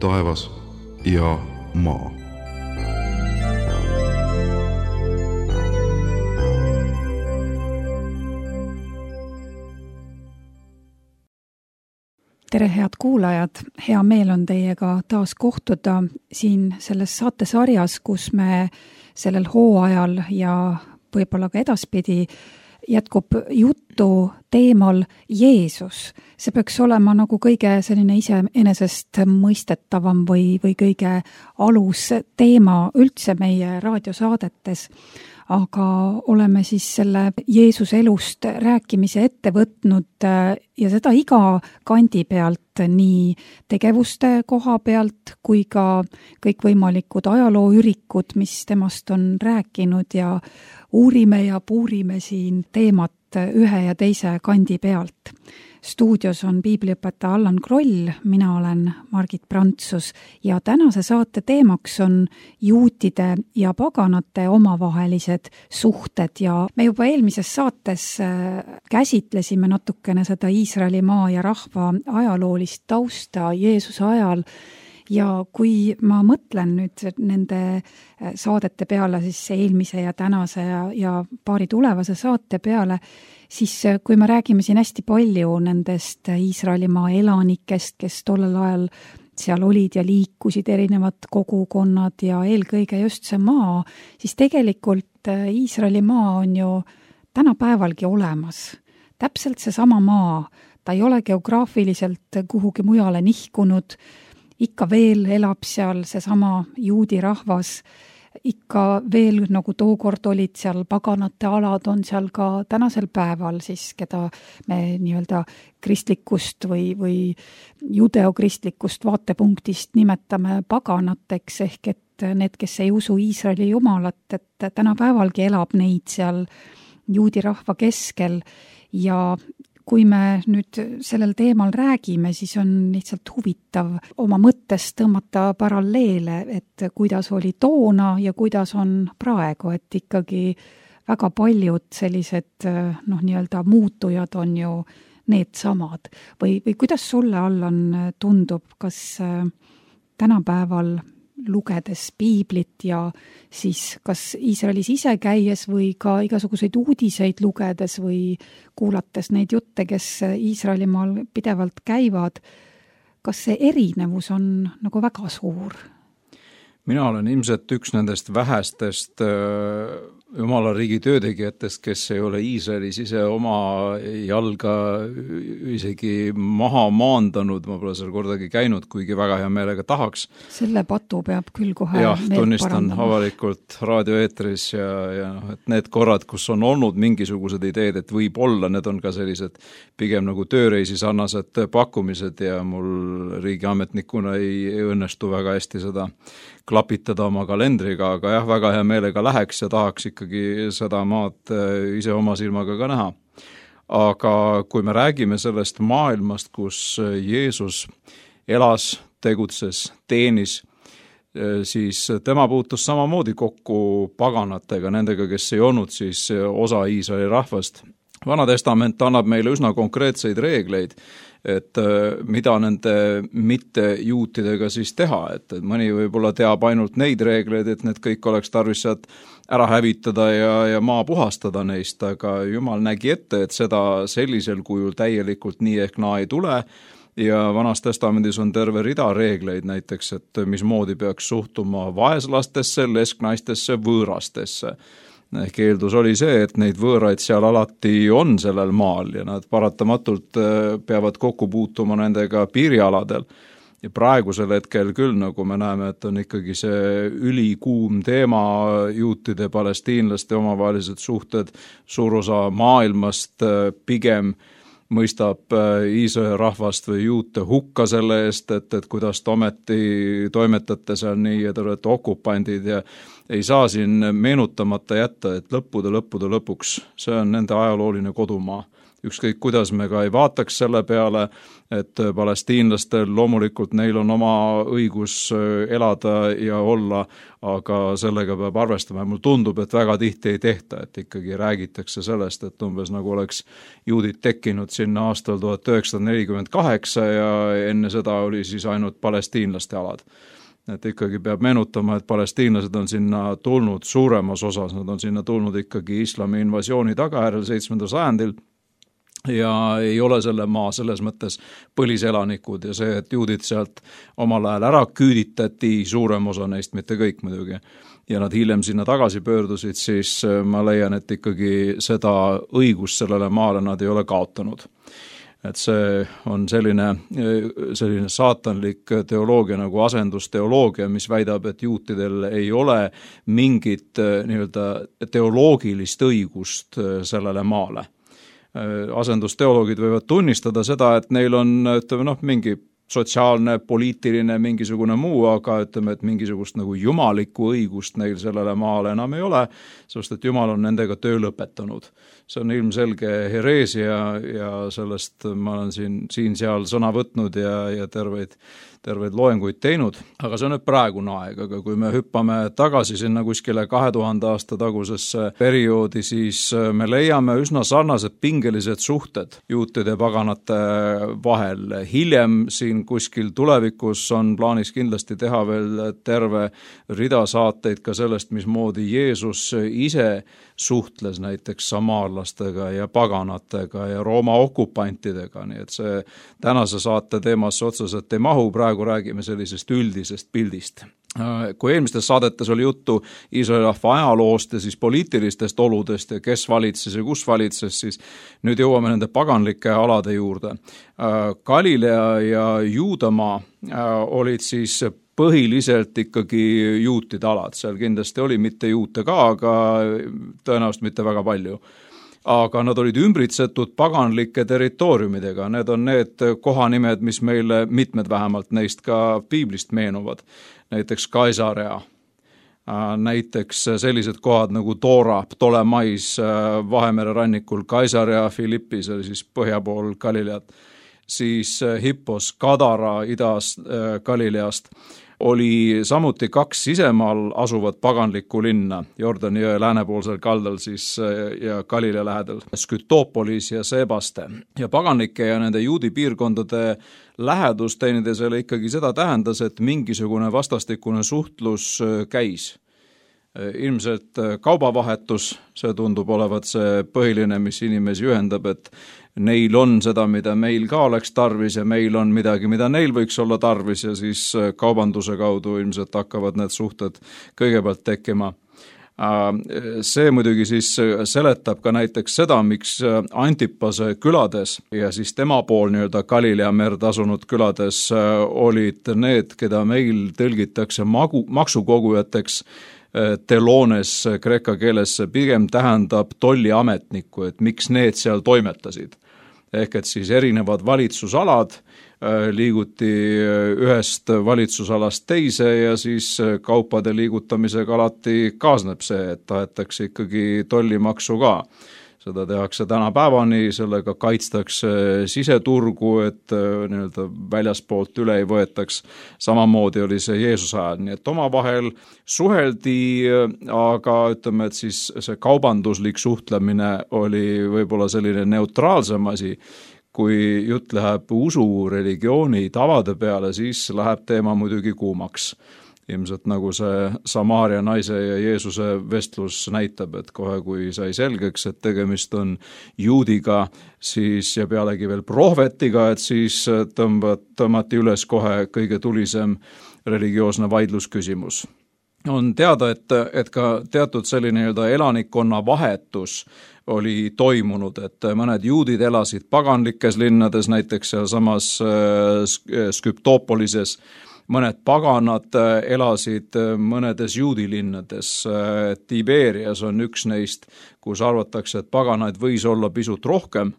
taevas ja maa. Tere, head kuulajad! Hea meel on teiega taas kohtuda siin selles saatesarjas, kus me sellel hooajal ja võib-olla ka edaspidi jätkub juttu teemal Jeesus. See peaks olema nagu kõige selline iseenesest mõistetavam või kõige alus teema üldse meie raadiosaadetes. Aga oleme siis selle Jeesuse elust rääkimise ette võtnud ja seda iga kandi pealt, nii tegevuste koha pealt kui ka kõikvõimalikud ajalooürikud, mis temast on rääkinud ja uurime ja puurime siin teemat ühe ja teise kandi pealt. Stuudios on piibliõpetaja Allan Kroll, mina olen Margit Prantsus ja tänase saate teemaks on juutide ja paganate omavahelised suhted ja me juba eelmises saates käsitlesime natukene seda Iisraelimaa ja rahva ajaloolist tausta Jeesuse ajal. Ja kui ma mõtlen nüüd nende saadete peale, siis eelmise ja tänase ja paari tulevase saate peale, siis kui me räägime siin hästi palju nendest Iisraelimaa elanikest, kes tollel ajal seal olid ja liikusid erinevad kogukonnad ja eelkõige just see maa, siis tegelikult Iisraelimaa on ju tänapäevalgi olemas. Täpselt see sama maa, ta ei ole geograafiliselt kuhugi mujale nihkunud, ikka veel elab seal seesama juudi rahvas, ikka veel nagu tookord olid seal paganate alad, on seal ka tänasel päeval siis, keda me nii-öelda kristlikust või judeokristlikust vaatepunktist nimetame paganateks, ehk et need, kes ei usu Iisraeli jumalat, et tänapäevalgi elab neid seal juudi rahva keskel ja kui me nüüd sellel teemal räägime, siis on lihtsalt huvitav oma mõttes tõmmata paralleele, et kuidas oli toona ja kuidas on praegu, et ikkagi väga paljud sellised nii-öelda muutujad on ju need samad. Või kuidas sulle, Allan, tundub, kas tänapäeval lugedes piiblit ja siis kas Iisraelis ise käies või ka igasuguseid uudiseid lugedes või kuulates neid jutte, kes Iisraelimaal pidevalt käivad, kas see erinevus on nagu väga suur? Mina olen ilmselt üks nendest vähestest Jumala riigi töötegijatest, kes ei ole Iisraelis ise oma jalga isegi maha maandanud, ma pole seal kordagi käinud, kuigi väga hea meelega tahaks. Selle patu peab küll kohe tunnistan avalikult raadioeetris ja et need korrad, kus on olnud mingisugused ideed, et võib-olla need on ka sellised pigem nagu tööreisi sarnased pakkumised ja mul riigiametnikuna ei õnnestu väga hästi seda klapitada oma kalendriga, aga jah, väga hea meelega läheks ja tahaks ikkagi seda maad ise oma silmaga ka näha. Aga kui me räägime sellest maailmast, kus Jeesus elas, tegutses, teenis, siis tema puutus samamoodi kokku paganatega, nendega, kes ei olnud siis osa Iisraeli rahvast. Vana testament annab meile üsna konkreetseid reegleid, et mida nende mittejuutidega siis teha, et mõni võib-olla teab ainult neid reegleid, et need kõik oleks tarvis sealt ära hävitada ja maa puhastada neist, aga Jumal nägi ette, et seda sellisel kujul täielikult nii ehk naa ei tule ja Vanas testamendis on terve rida reegleid näiteks, et mismoodi peaks suhtuma vaeslastesse, lesknaistesse, võõrastesse. Ehk eeldus oli see, et neid võõraid seal alati on sellel maal ja nad paratamatult peavad kokku puutuma nendega piirialadel. Ja praegusel hetkel küll, nagu me näeme, et on ikkagi see ülikuum teema, juutide, palestiinlaste omavahelised suhted, suur osa maailmast pigem mõistab Iisraeli rahvast või juute hukka selle eest, et kuidas te ometi toimetate seal nii ja te olete okupandid ja ei saa siin meenutamata jätta, et lõppude lõpuks see on nende ajalooline kodumaa. ükskõik kuidas me ka ei vaataks selle peale, et palestiinlastel loomulikult neil on oma õigus elada ja olla, aga sellega peab arvestama. Mul tundub, et väga tihti ei tehta, et ikkagi räägitakse sellest, et umbes nagu oleks juudid tekkinud sinna aastal 1948 ja enne seda oli siis ainult palestiinlaste alad. Et ikkagi peab meenutama, et palestiinlased on sinna tulnud suuremas osas, nad on sinna tulnud ikkagi islami invasiooni tagajärjel 7. sajandil ja ei ole selle maa selles mõttes põliselanikud ja see, et juudid sealt omal ajal ära küüditati, suurem osa neist, mitte kõik muidugi, ja nad hiljem sinna tagasi pöördusid, siis ma leian, et ikkagi seda õigust sellele maale nad ei ole kaotanud. Et see on selline saatanlik teoloogia nagu asendusteoloogia, mis väidab, et juutidel ei ole mingit nii-öelda teoloogilist õigust sellele maale. Asendusteoloogid võivad tunnistada seda, et neil on mingi sotsiaalne, poliitiline, mingisugune muu, aga ütleme, et mingisugust nagu jumalikku õigust neil sellele maale enam ei ole, sest et Jumal on nendega töö lõpetanud. See on ilmselge hereesia ja sellest ma olen siin-seal sõna võtnud ja terveid loenguid teinud, aga see on nüüd praegune aeg, aga kui me hüppame tagasi sinna kuskile 2000 aasta tagusesse perioodi, siis me leiame üsna sarnased pingelised suhted juutide ja paganate vahel. Hiljem siin kuskil tulevikus on plaanis kindlasti teha veel terve rida saateid ka sellest, mismoodi Jeesus ise suhtles näiteks samaarlastega ja paganatega ja Rooma okupantidega, nii et see tänase saate teemasse otseselt ei mahu, praegu räägime sellisest üldisest pildist. Kui eelmistes saadetes oli juttu Iisraeli rahva ajaloost ja siis poliitilistest oludest ja kes valitses ja kus valitses, siis nüüd jõuame nende paganlike alade juurde. Galilea ja Juudamaa olid siis põhiliselt ikkagi juutide alad, seal kindlasti oli mitte juute ka, aga tõenäoliselt mitte väga palju. Aga nad olid ümbritsetud paganlike territooriumidega, need on need kohanimed, mis meile mitmed vähemalt neist ka piiblist meenuvad, näiteks Kaisarea, näiteks sellised kohad nagu Dora, Ptolemais Vahemere rannikul, Kaisarea Philippis, oli siis põhja pool Galileat, siis Hippos, Gadara idas Galileast, oli samuti 2 sisemaal asuvat paganlikku linna, Jordani jõe läänepoolsel kaldal siis ja Galilea lähedal, Skytopolis ja Sebaste. Ja paganlike ja nende juudi piirkondade lähedus teineteisele ikkagi seda tähendas, et mingisugune vastastikune suhtlus käis. Ilmselt kaubavahetus, see tundub olevat see põhiline, mis inimesi ühendab, et neil on seda, mida meil ka oleks tarvis ja meil on midagi, mida neil võiks olla tarvis ja siis kaubanduse kaudu ilmselt hakkavad need suhted kõigepealt tekkima. See muidugi siis seletab ka näiteks seda, miks Antipase külades ja siis tema pool nii-öelda Galilea merd asunud külades olid need, keda meil tõlgitakse maksukogujateks, telones kreeka keeles pigem tähendab tolliametnikku, et miks need seal toimetasid. Ehk et siis erinevad valitsusalad liiguti ühest valitsusalast teise ja siis kaupade liigutamisega alati kaasneb see, et tahetakse ikkagi tollimaksu ka. Seda tehakse tänapäevani, sellega kaitstakse siseturgu, et nii-öelda väljaspoolt üle ei võetaks. Samamoodi oli see Jeesuse ajal, nii et omavahel suheldi, aga ütleme, et siis see kaubanduslik suhtlemine oli võib-olla selline neutraalsem asi. Kui jutt läheb usu, religiooni, tavade peale, siis läheb teema muidugi kuumaks. Ilmselt nagu see Samaaria naise ja Jeesuse vestlus näitab, et kohe kui sai selgeks, et tegemist on juudiga, siis ja pealegi veel prohvetiga, et siis tõmmati üles kohe kõige tulisem religioosne vaidlusküsimus. On teada, et ka teatud selline elanikkonna vahetus oli toimunud, et mõned juudid elasid paganlikes linnades, näiteks sealsamas Skytopolises, mõned paganad elasid mõnedes juudilinnades. Tiberias on üks neist, kus arvatakse, et paganaid võis olla pisut rohkem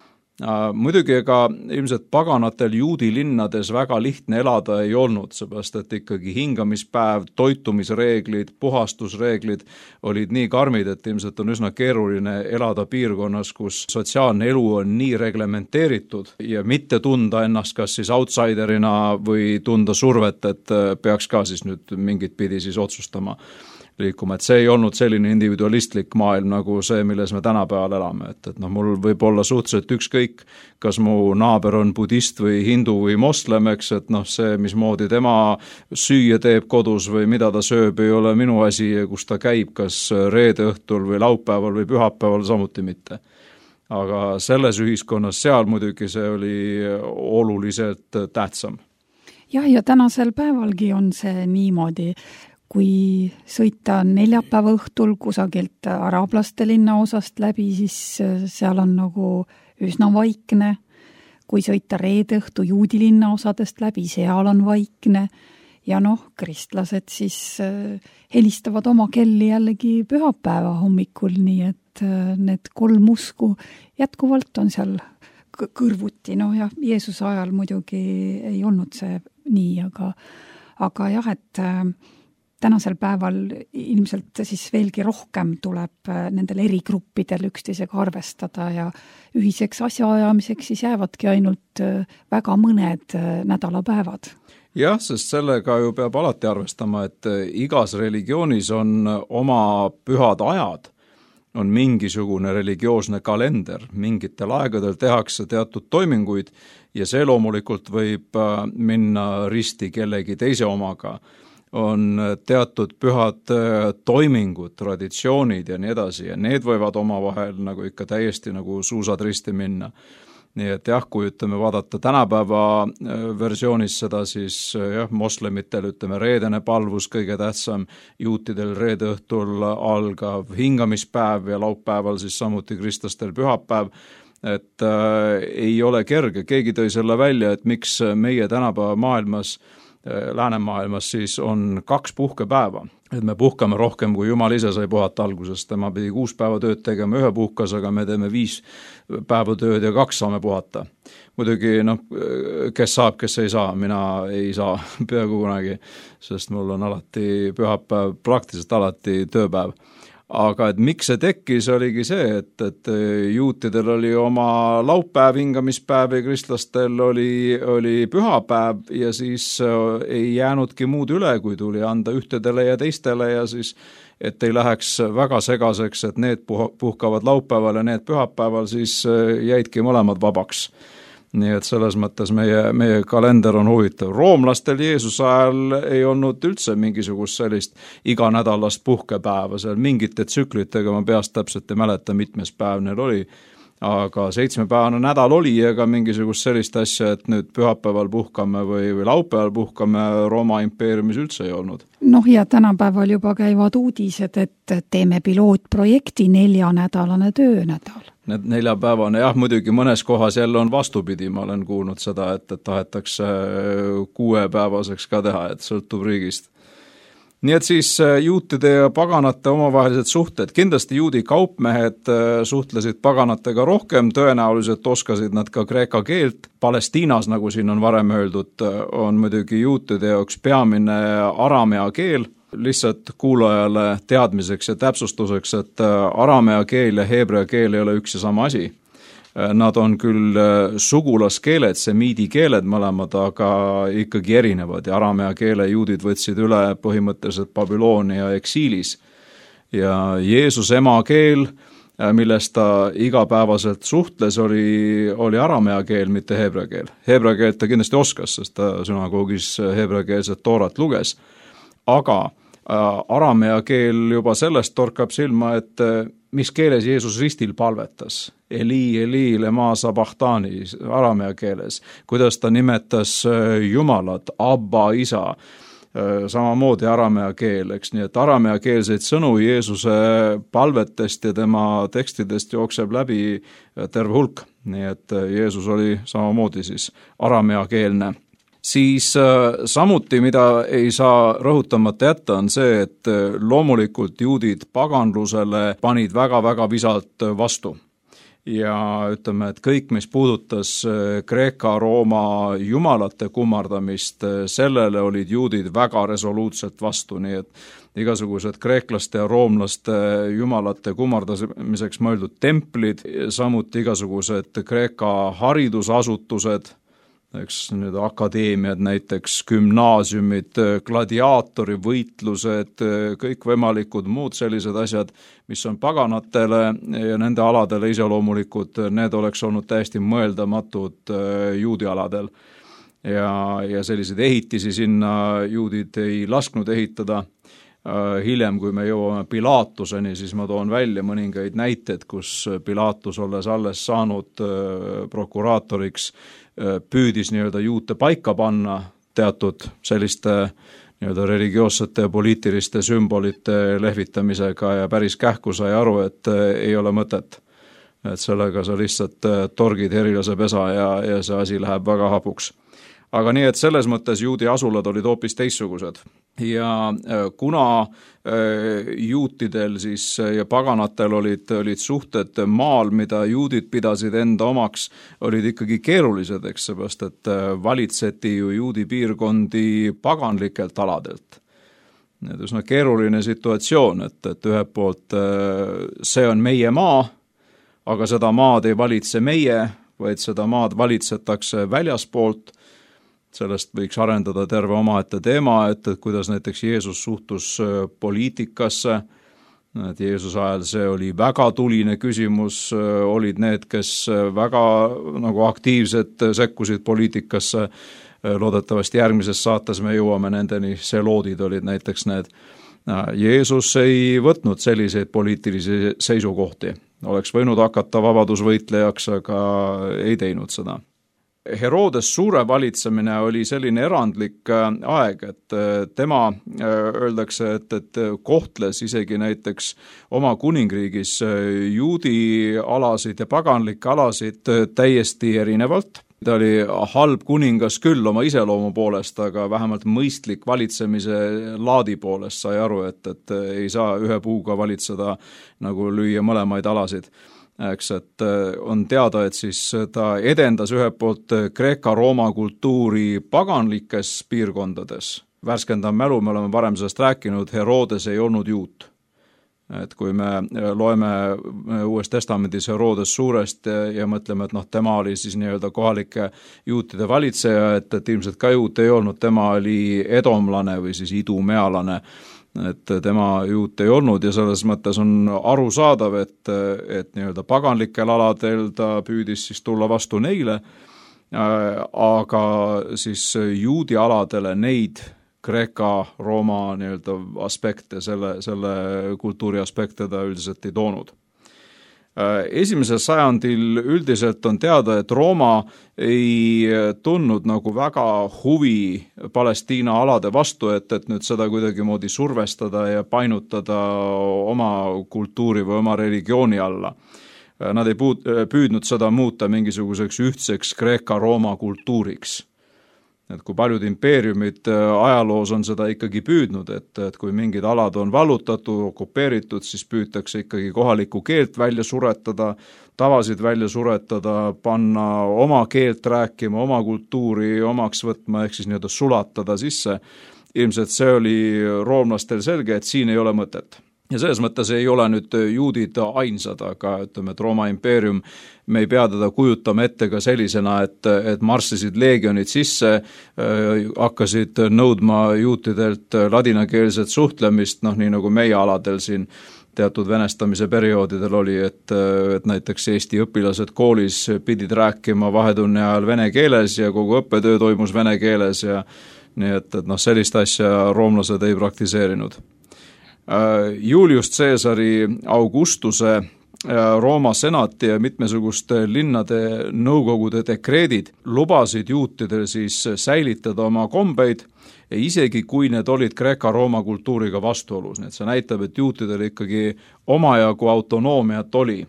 Muidugi ega ilmselt paganatel juudi linnades väga lihtne elada ei olnud, seepärast et ikkagi hingamispäev, toitumisreeglid, puhastusreeglid olid nii karmid, et ilmselt on üsna keeruline elada piirkonnas, kus sotsiaalne elu on nii reglementeeritud ja mitte tunda ennast kas siis outsiderina või tunda survet, et peaks ka siis nüüd mingit pidi siis otsustama liikuma, et see ei olnud selline individualistlik maailm nagu see, milles me tänapäeval elame, et mul võib olla suhteliselt ükskõik, kas mu naaber on budist või hindu või moslem, eks, et see, mismoodi tema süüa teeb kodus või mida ta sööb, ei ole minu asi ja kus ta käib, kas reede õhtul või laupäeval või pühapäeval, samuti mitte. Aga selles ühiskonnas seal muidugi see oli oluliselt tähtsam. Jah, ja tänasel päevalgi on see niimoodi, kui sõita neljapäeva õhtul kusagilt araablaste linnaosast läbi, siis seal on nagu üsna vaikne. Kui sõita reede õhtu juudi linnaosadest läbi, seal on vaikne. Ja kristlased siis helistavad oma kelli jällegi pühapäeva hommikul, nii et need 3 usku jätkuvalt on seal kõrvuti. Ja Jeesuse ajal muidugi ei olnud see nii, aga jah, et tänasel päeval ilmselt siis veelgi rohkem tuleb nendel erigruppidel üksteisega arvestada ja ühiseks asjaajamiseks siis jäävadki ainult väga mõned nädalapäevad. Jah, sest sellega ju peab alati arvestama, et igas religioonis on oma pühad ajad, on mingisugune religioosne kalender, mingitel aegadel tehakse teatud toiminguid ja see loomulikult võib minna risti kellegi teise omaga. On teatud pühad toimingud, traditsioonid ja nii edasi ja need võivad omavahel nagu ikka täiesti nagu suusad risti minna. Nii et jah, kui vaadata tänapäeva versioonis seda, siis moslemitel reedene palvus kõige tähtsam, juutidel reede õhtul algav hingamispäev ja laupäeval siis samuti kristlastel pühapäev, et ei ole kerge. Keegi tõi selle välja, et miks meie tänapäeva maailmas läänemaailmas siis on 2 puhkepäeva, et me puhkame rohkem kui Jumal ise sai puhata algusest, tema pidi 6 päeva tööd tegema 1 puhkasega, me teeme 5 päeva tööd ja 2 saame puhata. Muidugi, kes saab, kes ei saa, mina ei saa peaaegu kunagi, sest mul on alati pühapäev, praktiliselt alati tööpäev. Aga et miks see tekkis, oligi see, et juutidel oli oma laupäev, hingamispäev ja kristlastel oli pühapäev ja siis ei jäänudki muud üle, kui tuli anda ühtedele ja teistele ja siis, et ei läheks väga segaseks, et need puhkavad laupäeval ja need pühapäeval, siis jäidki mõlemad vabaks. Nii et selles mõttes meie kalender on huvitav. Roomlastel Jeesuse ajal ei olnud üldse mingisugust sellist iganädalast puhkepäeva, seal mingite tsüklitega ma peast täpselt ei mäleta, mitmes päev neil oli, aga 7-päevane nädal oli ega mingisugust sellist asja, et nüüd pühapäeval puhkame või laupäeval puhkame Rooma impeeriumis üldse ei olnud. Ja tänapäeval juba käivad uudised, et teeme pilootprojekti 4-nädalane töönädal. Need 4-päevane, jah, muidugi mõnes kohas jälle on vastupidi, ma olen kuulnud seda, et tahetakse 6-päevaseks ka teha, et sõltub riigist. Nii et siis juutide ja paganate omavahelised suhted, kindlasti juudi kaupmehed suhtlesid paganatega rohkem, tõenäoliselt oskasid nad ka kreeka keelt. Palestiinas, nagu siin on varem öeldud, on muidugi juutide jaoks peamine aramea keel. Lihtsalt kuulajale teadmiseks ja täpsustuseks, et aramea keel ja heebrea keel ei ole üks ja sama asi. Nad on küll sugulaskeeled, semiidi keeled mõlemad, aga ikkagi erinevad ja aramea keele juudid võtsid üle põhimõtteliselt Babyloonia eksiilis. Ja Jeesus ema keel, millest ta igapäevaselt suhtles, oli aramea keel, mitte heebrea keel. Heebrea keelt ta kindlasti oskas, sest ta sünagoogis heebreakeelset toorat luges, aga aramea keel juba sellest torkab silma, et mis keeles Jeesus ristil palvetas. Eli, Eli, lema sabachthani, aramea keeles. Kuidas ta nimetas Jumalat, Abba, isa, samamoodi aramea keel, eks nii, et aramea keelseid sõnu Jeesuse palvetest ja tema tekstidest jookseb läbi terve hulk. Nii et Jeesus oli samamoodi siis aramea keelne. Siis samuti, mida ei saa rõhutamata jätta, on see, et loomulikult juudid paganlusele panid väga-väga visalt vastu. ja ütleme, et kõik, mis puudutas Kreeka-Rooma jumalate kummardamist, sellele olid juudid väga resoluutselt vastu, nii et igasugused kreeklaste ja roomlaste jumalate kummardamiseks mõeldud templid, samuti igasugused Kreeka haridusasutused, eks need akadeemiad, näiteks gümnaasiumid, gladiaatorivõitlused, kõikvõimalikud muud sellised asjad, mis on paganatele ja nende aladele iseloomulikud, need oleks olnud täiesti mõeldamatud juudi aladel. Ja selliseid ehitisi sinna juudid ei lasknud ehitada. Hiljem, kui me jõuame Pilatuseni, siis ma toon välja mõningaid näiteid, kus Pilatus olles alles saanud prokuraatoriks, püüdis nii-öelda juute paika panna teatud selliste nii-öelda religioossete ja poliitiliste sümbolite lehvitamisega ja päris kähku sai aru, et ei ole mõtet. Et sellega sa lihtsalt torgid herilase pesa ja see asi läheb väga hapuks. Aga nii, et selles mõttes juudi asulad olid hoopis teistsugused. Ja kuna juutidel siis ja paganatel olid suhted maal, mida juudid pidasid enda omaks, olid ikkagi keerulised, eks seepärast, et valitseti ju juudi piirkondi paganlikelt aladelt. Need üsna keeruline situatsioon, et ühelt poolt see on meie maa, aga seda maad ei valitse meie, vaid seda maad valitsetakse väljaspoolt. Sellest võiks arendada terve omaette teema, et kuidas näiteks Jeesus suhtus poliitikasse, et Jeesuse ajal see oli väga tuline küsimus, olid need, kes väga nagu aktiivselt sekkusid poliitikasse, loodetavasti järgmises saates me jõuame nendeni, seloodid olid näiteks need. Jeesus ei võtnud selliseid poliitilisi seisukohti, oleks võinud hakata vabadusvõitlejaks, aga ei teinud seda. Herodes suure valitsemine oli selline erandlik aeg, et tema öeldakse, et kohtles isegi näiteks oma kuningriigis juudi alasid ja paganlikke alasid täiesti erinevalt. Ta oli halb kuningas küll oma iseloomu poolest, aga vähemalt mõistlik valitsemise laadi poolest sai aru, et ei saa ühe puuga valitseda nagu lüüa mõlemaid alasid. Eks, et on teada, et siis ta edendas ühelt poolt Kreeka-Rooma kultuuri paganlikes piirkondades. Värskendav mälu, me oleme varem sellest rääkinud, Herodes ei olnud juut. Et kui me loeme Uues Testamendis Herodes suurest ja mõtleme, et tema oli siis nii-öelda kohalike juutide valitseja, et ilmselt ka juut ei olnud, tema oli edomlane või siis idumealane, et tema juut ei olnud ja selles mõttes on arusaadav, et nii-öelda paganlikel aladel ta püüdis siis tulla vastu neile, aga siis juudi aladele neid Kreeka-Rooma nii-öelda aspekte, selle kultuuri aspekte ta üldiselt ei toonud. Esimesel sajandil üldiselt on teada, et Rooma ei tundnud nagu väga huvi Palestiina alade vastu, et nüüd seda kuidagi moodi survestada ja painutada oma kultuuri või oma religiooni alla. Nad ei püüdnud seda muuta mingisuguseks ühtseks Kreeka-Rooma kultuuriks. Et kui paljud impeeriumid ajaloos on seda ikkagi püüdnud, et kui mingid alad on vallutatud, okupeeritud, siis püütakse ikkagi kohalikku keelt välja suretada, tavasid välja suretada, panna oma keelt rääkima, oma kultuuri omaks võtma, ehk siis nii-öelda sulatada sisse. Ilmselt see oli roomlastel selge, et siin ei ole mõtet. Ja selles mõttes ei ole nüüd juudid ainsad, aga ütleme, et Rooma impeerium, me ei pea teda kujutama ette ka sellisena, et marssisid leegionid sisse, hakkasid nõudma juutidelt ladinakeelset suhtlemist, nii nagu meie aladel siin teatud venestamise perioodidel oli, et näiteks Eesti õpilased koolis pidid rääkima vahetunni ajal vene keeles ja kogu õppetöö toimus vene keeles ja nii et sellist asja roomlased ei praktiseerinud. Julius Caesari, Augustuse, Rooma senati ja mitmesuguste linnade nõukogude dekreedid lubasid juutidel siis säilitada oma kombeid, isegi kui need olid Kreeka-Rooma kultuuriga vastuolus. Nii et see näitab, et juutidel ikkagi omajagu autonoomiat oli.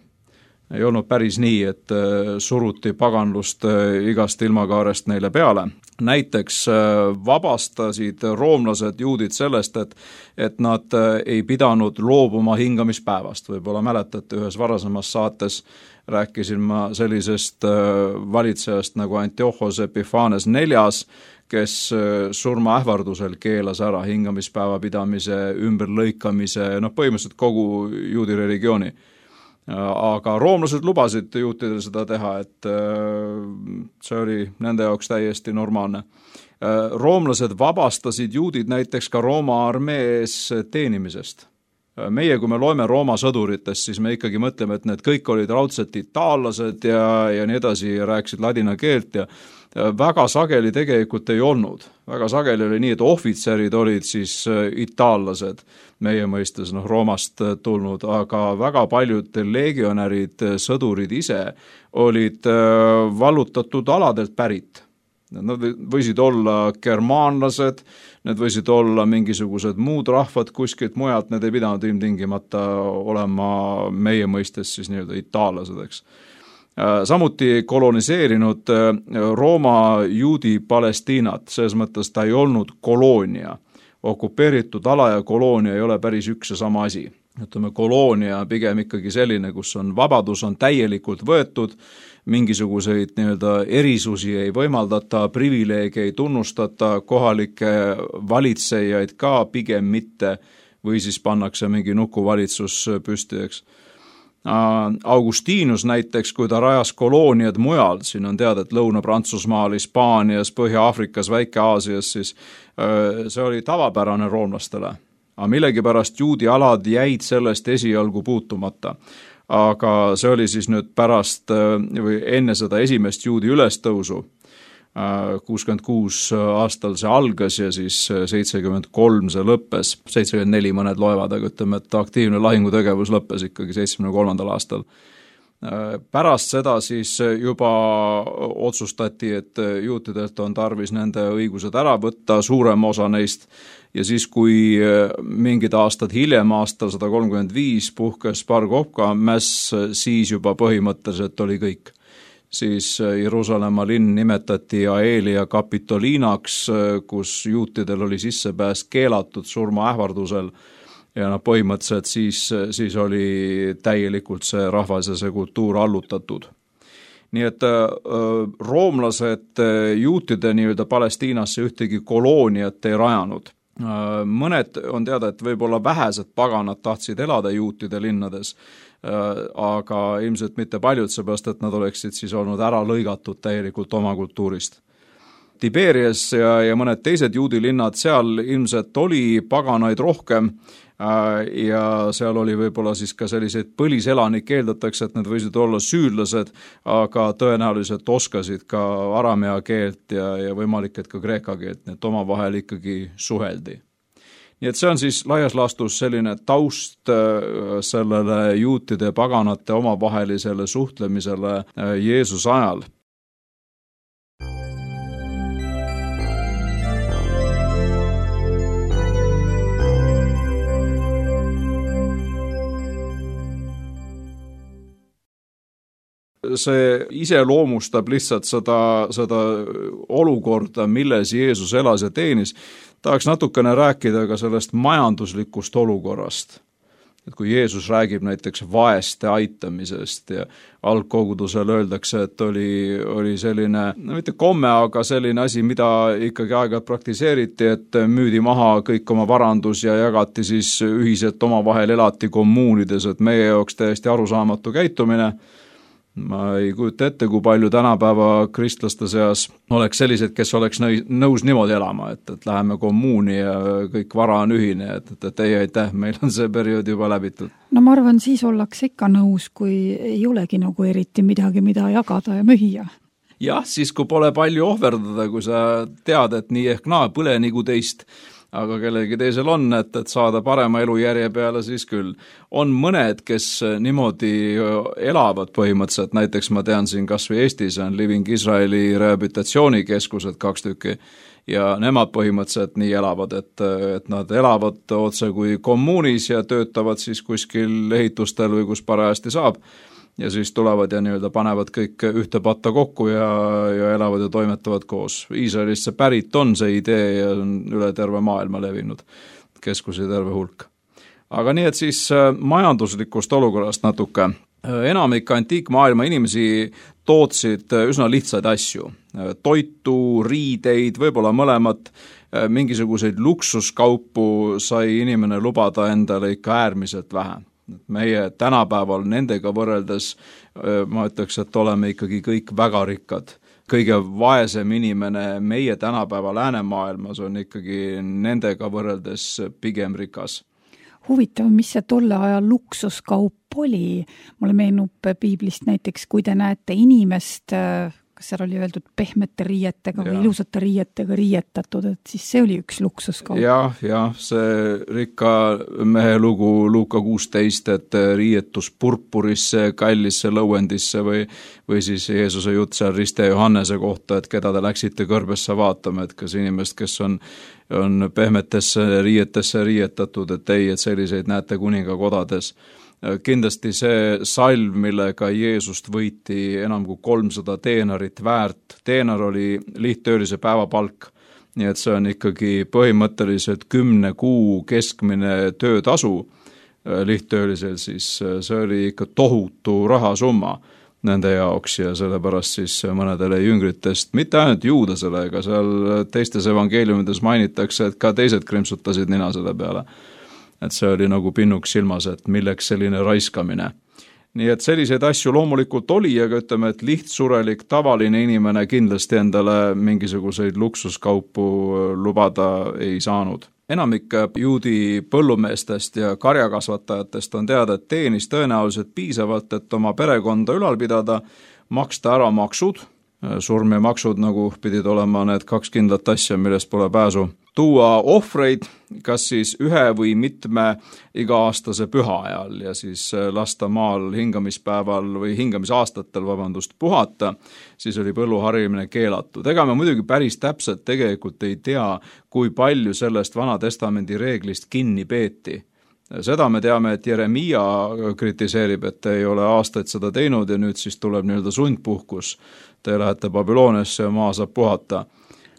Ei olnud päris nii, et suruti paganlust igast ilmakaarest neile peale. Näiteks vabastasid roomlased juudid sellest, et nad ei pidanud loobuma hingamispäevast. Võib-olla mäletate ühes varasemas saates rääkisin ma sellisest valitsejast nagu Antiochos Epiphanes IV, kes surmaähvardusel keelas ära hingamispäeva pidamise, ümberlõikamise, põhimõtteliselt kogu juudi religiooni. Aga roomlased lubasid juutidel seda teha, et see oli nende jaoks täiesti normaalne. Roomlased vabastasid juudid näiteks ka Rooma armees teenimisest. Meie, kui me loeme Rooma sõduritest, siis me ikkagi mõtleme, et need kõik olid raudselt itaallased ja nii edasi ja rääkisid ladina keelt ja väga sageli tegelikult ei olnud. Väga sageli oli nii, et ohvitserid olid siis itaallased, meie mõistes Roomast tulnud, aga väga paljud legionärid, sõdurid ise olid vallutatud aladelt pärit. Nad võisid olla germaanlased, need võisid olla mingisugused muud rahvad kuskilt mujalt, need ei pidanud ilmtingimata olema meie mõistes siis nii-öelda itaallased, eks. Samuti koloniseerinud Rooma juudi Palestiinat, selles mõttes ta ei olnud koloonia. Okupeeritud ala ja koloonia ei ole päris üks ja sama asi. Ütleme, koloonia pigem ikkagi selline, kus on vabadus on täielikult võetud, mingisuguseid nii-öelda erisusi ei võimaldata, privileege ei tunnustata, kohalikke valitsejaid ka pigem mitte, või siis pannakse mingi nukuvalitsus püsti, eks. Augustinus näiteks, kui ta rajas kolooniad mujal, siin on teada, et Lõuna-Prantsusmaal, Hispaanias, Põhja-Aafrikas, Väike-Aasias, siis see oli tavapärane roomlastele. Aga millegipärast juudi alad jäid sellest esialgu puutumata. Aga see oli siis nüüd pärast või enne seda esimest juudi ülestõusu, 66 aastal see algas ja siis 73 see lõppes, 74 mõned loevad, aga ütleme, et aktiivne lahingutegevus lõppes ikkagi 73. aastal. Pärast seda siis juba otsustati, et juutidelt on tarvis nende õigused ära võtta, suurem osa neist, ja siis, kui mingid aastad hiljem, aastal 135 puhkes Bar Kokhba mäss, siis juba põhimõtteliselt oli kõik. Siis Jeruusalemma linn nimetati Aelia Kapitoliinaks, kus juutidel oli sissepääs keelatud surmaähvardusel ja põhimõtteliselt siis oli täielikult see rahvas ja see kultuur allutatud. Nii et roomlased juutide nii-öelda Palestiinasse ühtegi kolooniat ei rajanud. Mõned on teada, et võib-olla vähesed paganad tahtsid elada juutide linnades, aga ilmselt mitte paljud, seepärast, et nad oleksid siis olnud ära lõigatud täielikult oma kultuurist. Tiberias ja mõned teised juudi linnad, seal ilmselt oli paganaid rohkem ja seal oli võib-olla siis ka selliseid põliselanikke, eeldatakse, et need võisid olla süürlased, aga tõenäoliselt oskasid ka aramea keelt ja võimalik, et ka kreeka keelt, nii et omavahel ikkagi suheldi. Nii et see on siis laias laastus selline taust sellele juutide ja paganate omavahelisele suhtlemisele Jeesuse ajal. See iseloomustab lihtsalt seda olukorda, milles Jeesus elas ja teenis. Tahaks natukene rääkida ka sellest majanduslikust olukorrast. Et kui Jeesus räägib näiteks vaeste aitamisest ja algkogudusel öeldakse, et oli selline, mitte komme, aga selline asi, mida ikkagi aeg-ajalt praktiseeriti, et müüdi maha kõik oma varandus ja jagati siis ühiselt omavahel elati kommuunides, et meie jaoks täiesti arusaamatu käitumine. Ma ei kujuta ette, kui palju tänapäeva kristlaste seas oleks sellised, kes oleks nõus niimoodi elama, et läheme kommuuni ja kõik vara on ühine, et ei aitäh, meil on see periood juba läbitud. No ma arvan, siis ollakse ikka nõus, kui ei olegi nagu eriti midagi, mida jagada ja müüa. Jah, siis kui pole palju ohverdada, kui sa tead, et nii ehk naa põle nagu teist, aga kellegi teisel on, et saada parema elujärje peale, siis küll. On mõned, kes niimoodi elavad põhimõtteliselt, näiteks ma tean siin kas või Eestis on Living Israeli rehabilitatsioonikeskused 2 tükki ja nemad põhimõtteliselt nii elavad, et nad elavad otse kui kommuunis ja töötavad siis kuskil ehitustel või kus parajasti saab. Ja siis tulevad ja nii-öelda panevad kõik ühte patta kokku ja elavad ja toimetavad koos. Iisraelist see pärit on see idee ja on üle terve maailma levinud, keskusi terve hulk. Aga nii, et siis majanduslikust olukorrast natuke. enamik antiikmaailma inimesi tootsid üsna lihtsaid asju. Toitu, riideid, võib-olla mõlemat, mingisuguseid luksuskaupu sai inimene lubada endale ikka äärmiselt vähe. Meie tänapäeval nendega võrreldes ma ütleks, et oleme ikkagi kõik väga rikkad. Kõige vaesem inimene meie tänapäeva läänemaailmas on ikkagi nendega võrreldes pigem rikas. Huvitav, mis see tolle ajal luksuskaup oli? Mulle meenub piiblist näiteks, kui te näete inimest, kas seal oli öeldud pehmete riietega või ilusate riietega riietatud, et siis see oli üks luksuskaup. Jah, see rikka mehe lugu Luuka 16, et riietus purpurisse, kallisse lõuendisse või siis Jeesuse jutt seal Riste Johannese kohta, et keda te läksite kõrbesse vaatama, et kas inimest, kes on pehmetesse riietesse riietatud, et ei, et selliseid näete kuningakodades. Kindlasti see salv, millega Jeesust võiti enam kui 300 teenarit väärt. Teenar oli lihttöölise päevapalk, nii et see on ikkagi põhimõtteliselt 10 kuu keskmine töötasu lihttöölisel, siis see oli ikka tohutu rahasumma nende jaoks ja sellepärast siis mõnedele jüngritest, mitte ainult juudasele, ega seal teistes evangeeliumides mainitakse, et ka teised krimpsutasid nina selle peale. Et see oli nagu pinnuks silmas, et milleks selline raiskamine. Nii et selliseid asju loomulikult oli, aga ütleme, et lihtsurelik tavaline inimene kindlasti endale mingisuguseid luksuskaupu lubada ei saanud. Enamik juudi põllumeestest ja karjakasvatajatest on teada, et teenis tõenäoliselt piisavalt, et oma perekonda ülal pidada, maksta ära maksud, surm ja maksud nagu pidid olema need 2 kindlat asja, millest pole pääsu. Tuua ohvreid, kas siis ühe või mitme iga-aastase püha ajal ja siis lasta maal hingamispäeval või hingamisaastatel, puhata, siis oli põlluharimine keelatud. Ega me muidugi päris täpselt tegelikult ei tea, kui palju sellest Vana Testamendi reeglist kinni peeti. Seda me teame, et Jeremia kritiseerib, et ei ole aastaid seda teinud ja nüüd siis tuleb nii-öelda sundpuhkus. Te lähete Babyloniasse ja maa saab puhata.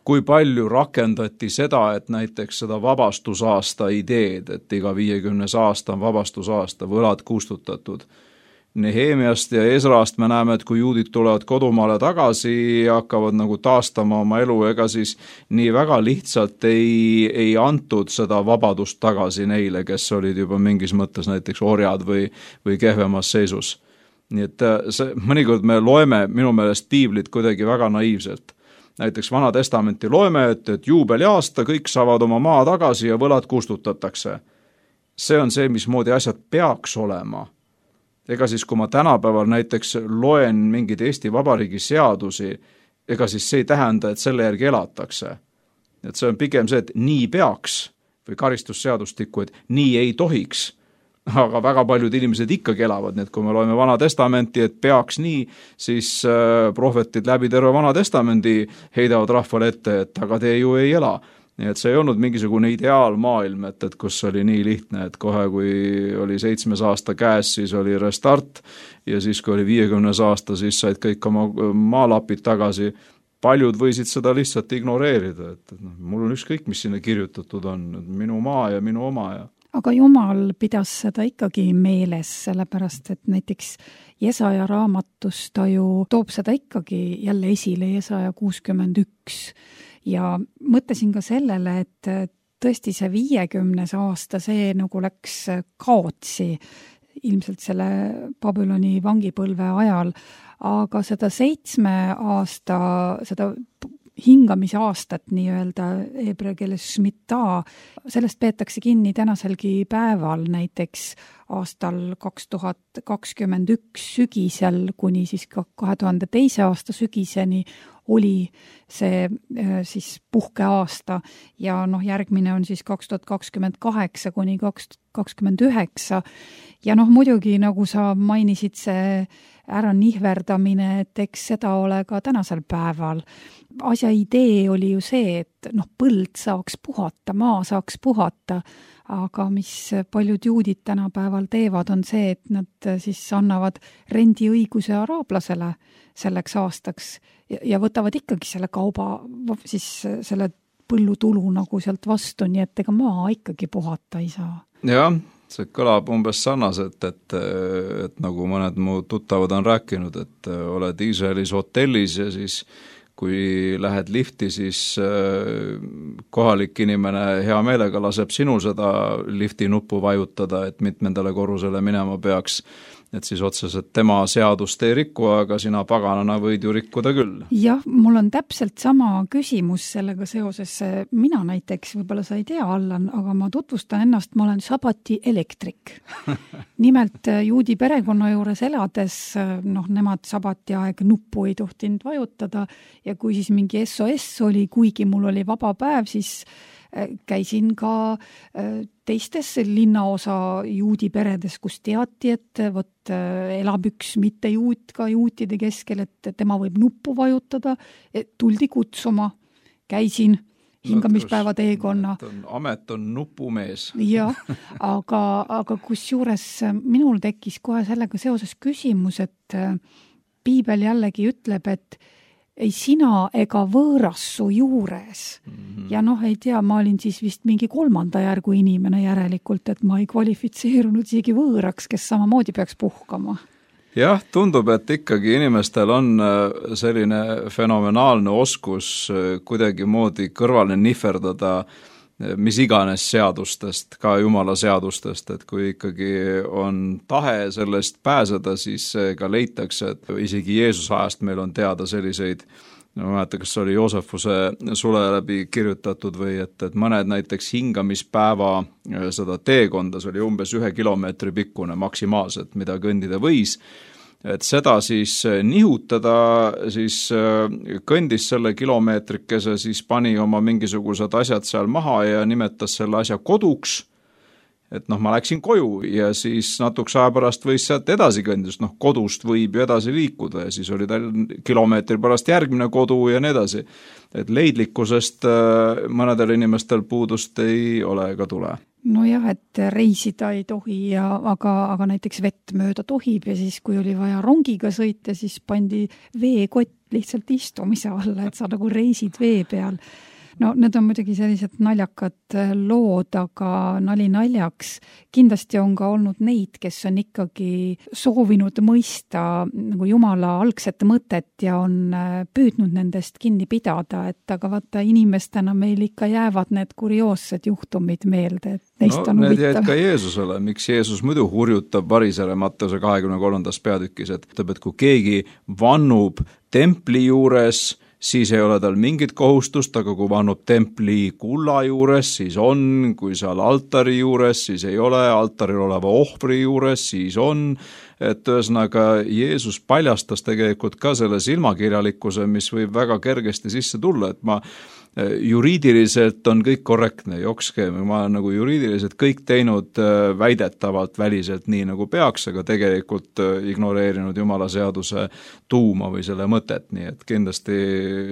Kui palju rakendati seda, et näiteks seda vabastusaasta ideed, et iga 50 aasta on vabastusaasta, võlad kustutatud. Nehemiast ja Esrast me näeme, et kui juudid tulevad kodumaale tagasi ja hakkavad nagu taastama oma elu, ega siis nii väga lihtsalt ei antud seda vabadust tagasi neile, kes olid juba mingis mõttes näiteks orjad või kehvemas seisus. Nii et mõnikord me loeme minu meelest piiblit kuidagi väga naiivselt. Näiteks Vana Testamenti loeme, et juubeliaasta kõik saavad oma maa tagasi ja võlad kustutatakse. See on see, mismoodi asjad peaks olema. Ega siis, kui ma tänapäeval näiteks loen mingeid Eesti Vabariigi seadusi, ega siis see ei tähenda, et selle järgi elatakse. Et see on pigem see, et nii peaks või karistusseadustikku, et nii ei tohiks. Aga väga paljud inimesed ikkagi elavad, nii et kui me loeme Vana Testamenti, et peaks nii, siis prohvetid läbi terve Vana Testamendi heidavad rahvale ette, et aga te ju ei ela. Nii et see ei olnud mingisugune ideaalmaailm, et kus oli nii lihtne, et kohe kui oli 7. aasta käes, siis oli restart ja siis kui oli 50. aasta, siis said kõik oma maalapid tagasi. Paljud võisid seda lihtsalt ignoreerida, et mul on ükskõik, mis sinna kirjutatud on, minu maa ja minu oma ja aga Jumal pidas seda ikkagi meeles, sellepärast et näiteks Jesaja raamatus ta ju toob seda ikkagi jälle esile, Jesaja 61. Ja mõtlesin ka sellele, et tõesti see 50. aasta, see nagu läks kaotsi ilmselt selle Babyloni vangipõlve ajal, aga seda 7 aasta, seda hingamise aastat nii-öelda heebrea keeles šmita, sellest peetakse kinni tänaselgi päeval, näiteks aastal 2021 sügisel kuni siis 2002. aasta sügiseni oli see siis puhkeaasta ja järgmine on siis 2028 kuni 2029 ja muidugi nagu sa mainisid, see ära nihverdamine, et eks seda ole ka tänasel päeval. Asja idee oli ju see, et põld saaks puhata, maa saaks puhata, aga mis paljud juudid tänapäeval teevad, on see, et nad siis annavad rendiõiguse araablasele selleks aastaks ja võtavad ikkagi selle kauba, siis selle põllutulu nagu sealt vastu, nii et ega maa ikkagi puhata ei saa. Jah, see kõlab umbes sarnaselt, et nagu mõned mu tuttavad on rääkinud, et oled Iisraelis hotellis ja siis kui lähed lifti, siis kohalik inimene hea meelega laseb sinul seda lifti nuppu vajutada, et mitmendale korrusele minema peaks. Et siis otseselt tema seadust ei riku, aga sina paganana võid ju rikkuda küll. Jah, mul on täpselt sama küsimus sellega seoses. Mina näiteks, võib-olla sa ei tea, Allan, aga ma tutvustan ennast, ma olen sabati elektrik. Nimelt juudi perekonna juures elades, nemad sabati aeg nuppu ei tohtinud vajutada ja kui siis mingi SOS oli, kuigi mul oli vaba päev, siis käisin ka teistes linnaosa juudi peredes, kus teati, et elab üks mitte juut ka juutide keskel, et tema võib nuppu vajutada, tuldi kutsuma, käisin hingamispäeva teekonna. Amet on nupumees. Jah, aga kusjuures minul tekkis kohe sellega seoses küsimus, et piibel jällegi ütleb, et ei sina ega võõras su juures. Ja ei tea, ma olin siis vist mingi 3. järgu inimene järelikult, et ma ei kvalifitseerunud isegi võõraks, kes samamoodi peaks puhkama. Jah, tundub, et ikkagi inimestel on selline fenomenaalne oskus kuidagi moodi kõrvale nihverdada mis iganes seadustest, ka Jumala seadustest, et kui ikkagi on tahe sellest pääseda, siis ka leitakse, et isegi Jeesuse ajast meil on teada selliseid, ma mäletan, kas oli Joosefuse sule läbi kirjutatud või et mõned näiteks hingamispäeva seda teekonda, see oli umbes 1 kilomeetri pikkune maksimaalselt, mida kõndida võis, et seda siis nihutada, siis kõndis selle kilomeetrikese, siis pani oma mingisugused asjad seal maha ja nimetas selle asja koduks, et ma läksin koju ja siis natuks aja pärast võis sealt edasi kõndida, sest kodust võib ju edasi liikuda ja siis oli tal kilomeetri pärast järgmine kodu ja nii edasi. Et leidlikkusest mõnedel inimestel puudust ei ole ega tule. Nojah, et reisida ei tohi, aga näiteks vett mööda tohib ja siis, kui oli vaja rongiga sõita, siis pandi veekott lihtsalt istumise alla, et sa nagu reisid vee peal. Need on muidugi sellised naljakad lood, aga nali naljaks. Kindlasti on ka olnud neid, kes on ikkagi soovinud mõista nagu Jumala algset mõtet ja on püüdnud nendest kinni pidada, et aga vaata inimestena meil ikka jäävad need kurioossed juhtumid meelde, et neist on need huvitav. Jäid ka Jeesusele, miks Jeesus muidu hurjutab varisele Matteuse 23. peatükis, et ütleb, et kui keegi vannub templi juures, siis ei ole tal mingit kohustust, aga kui vannub templi kulla juures, siis on, kui seal altari juures, siis ei ole, altaril oleva ohvri juures, siis on, et ühesõnaga Jeesus paljastas tegelikult ka selle silmakirjalikkuse, mis võib väga kergesti sisse tulla, et juriidiliselt on kõik korrektne, joksskeem, ma olen nagu juriidiliselt kõik teinud väidetavalt väliselt nii nagu peaks, aga tegelikult ignoreerinud Jumala seaduse tuuma või selle mõtet, nii et kindlasti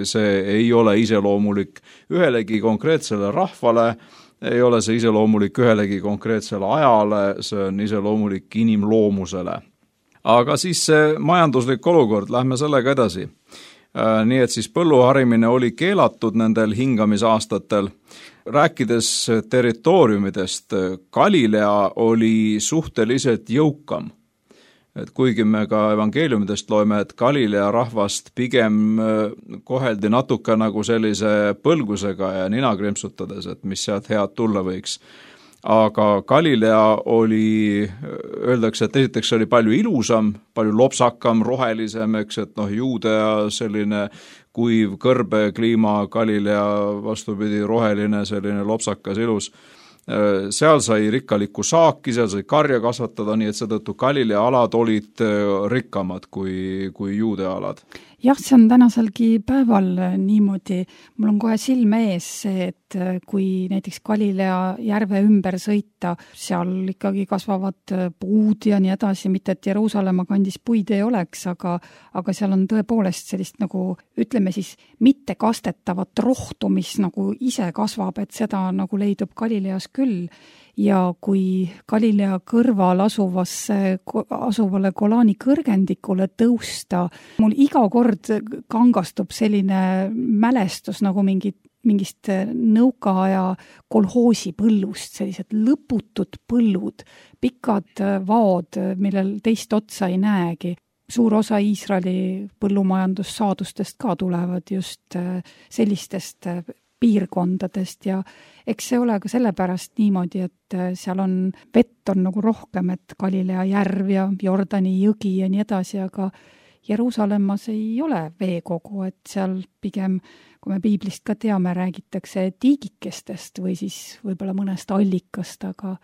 see ei ole iseloomulik ühelegi konkreetsele rahvale, ei ole see iseloomulik ühelegi konkreetsele ajale, see on iseloomulik inimloomusele. Aga siis see majanduslik olukord, lähme sellega edasi. Nii et siis põlluharimine oli keelatud nendel hingamisaastatel. Rääkides territooriumidest, Galilea oli suhteliselt jõukam. Et kuigi me ka evangeeliumidest loeme, et Galilea rahvast pigem koheldi natuke nagu sellise põlgusega ja nina krimpsutades, et mis sealt head tulla võiks. Aga Galilea oli, öeldakse, et esiteks oli palju ilusam, palju lopsakam, rohelisem, et Juudea selline kuiv kõrbe kliima, Galilea vastupidi roheline, selline lopsakas ilus. Seal sai rikkalikku saaki, seal sai karja kasvatada, nii et seetõttu Galilea alad olid rikkamad kui Juudea alad. Jah, see on tänaselgi päeval niimoodi. Mul on kohe silme ees see, et kui näiteks Galilea järve ümber sõita, seal ikkagi kasvavad puud ja nii edasi, mitte et Jeruusalemma kandis puid ei oleks, aga seal on tõepoolest sellist nagu, ütleme siis, mitte kastetavat rohtu, mis nagu ise kasvab, et seda nagu leidub Galileas küll. Ja kui Galilea kõrval asuvale Golani kõrgendikule tõusta, mul iga kord kangastub selline mälestus nagu mingi mingist nõukaaja kolhoosi põllust, sellised lõputud põllud, pikad vaod, millel teist otsa ei näegi. Suur osa Iisraeli põllumajandussaadustest ka tulevad just sellistest piirkondadest ja eks see ole ka sellepärast niimoodi, et seal on vett on nagu rohkem, et Galilea järv ja Jordani jõgi ja nii edasi, aga Jeruusalemmas ei ole veekogu, et seal pigem, kui me piiblist ka teame, räägitakse tiigikestest või siis võib-olla mõnest allikast, aga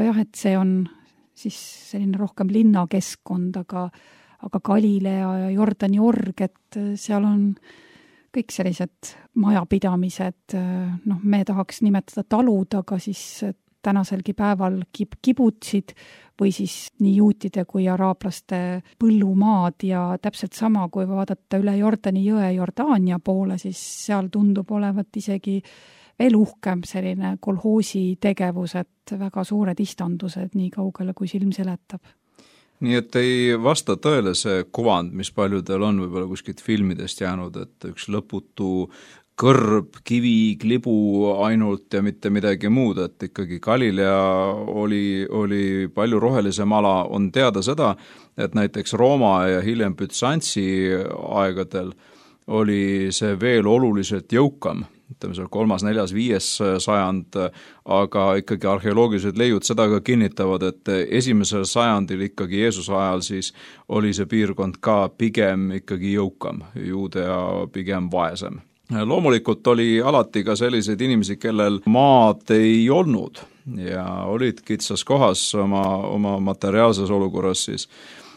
jah, et see on siis selline rohkem linnakeskkond, aga Galilea ja Jordani org, et seal on kõik sellised majapidamised, me tahaks nimetada talud, aga siis tänaselgi päeval kibutsid või siis nii juutide kui araablaste põllumaad ja täpselt sama, kui vaadata üle Jordani jõe Jordaania poole, siis seal tundub olevat isegi veel uhkem selline kolhoosi tegevus, et väga suured istandused nii kaugele, kui silm seletab. Nii et ei vasta tõele see kuvand, mis paljudel on võib-olla kuskilt filmidest jäänud, et üks lõputu kõrb, kivi, klibu ainult ja mitte midagi muud, et ikkagi Galilea oli palju rohelisem ala. On teada seda, et näiteks Rooma ja hiljem Bütsantsi aegadel oli see veel oluliselt jõukam, ütleme seal 3., 4., 5. sajand, aga ikkagi arheoloogilised leiud seda ka kinnitavad, et 1. sajandil ikkagi Jeesuse ajal siis oli see piirkond ka pigem ikkagi jõukam, Juudea pigem vaesem. Loomulikult oli alati ka selliseid inimesi, kellel maad ei olnud ja olid kitsas kohas oma materiaalses olukorras siis.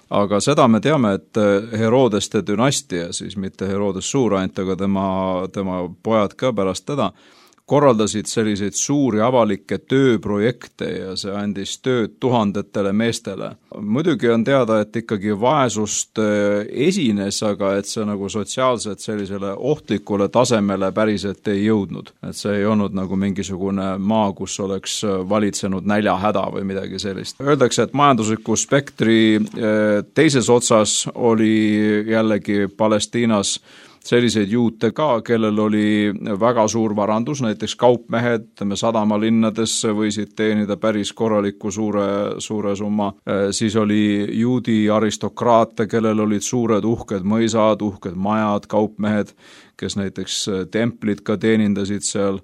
Aga seda me teame, et Herodeste dünastia, siis mitte Herodes Suur ainult, aga tema pojad ka pärast teda, korraldasid selliseid suuri avalikke tööprojekte ja see andis tööd tuhandetele meestele. Muidugi on teada, et ikkagi vaesust esines, aga et see nagu sotsiaalselt sellisele ohtlikule tasemele päriselt ei jõudnud. Et see ei olnud nagu mingisugune maa, kus oleks valitsenud näljahäda või midagi sellist. Öeldakse, et majandusliku spektri teises otsas oli jällegi Palestiinas selliseid juute ka, kellel oli väga suur varandus, näiteks kaupmehed, sadamalinnades võisid teenida päris korraliku suure summa. Siis oli juudi aristokraate, kellel olid suured uhked mõisad, uhked majad, kaupmehed, kes näiteks templid ka teenindasid seal.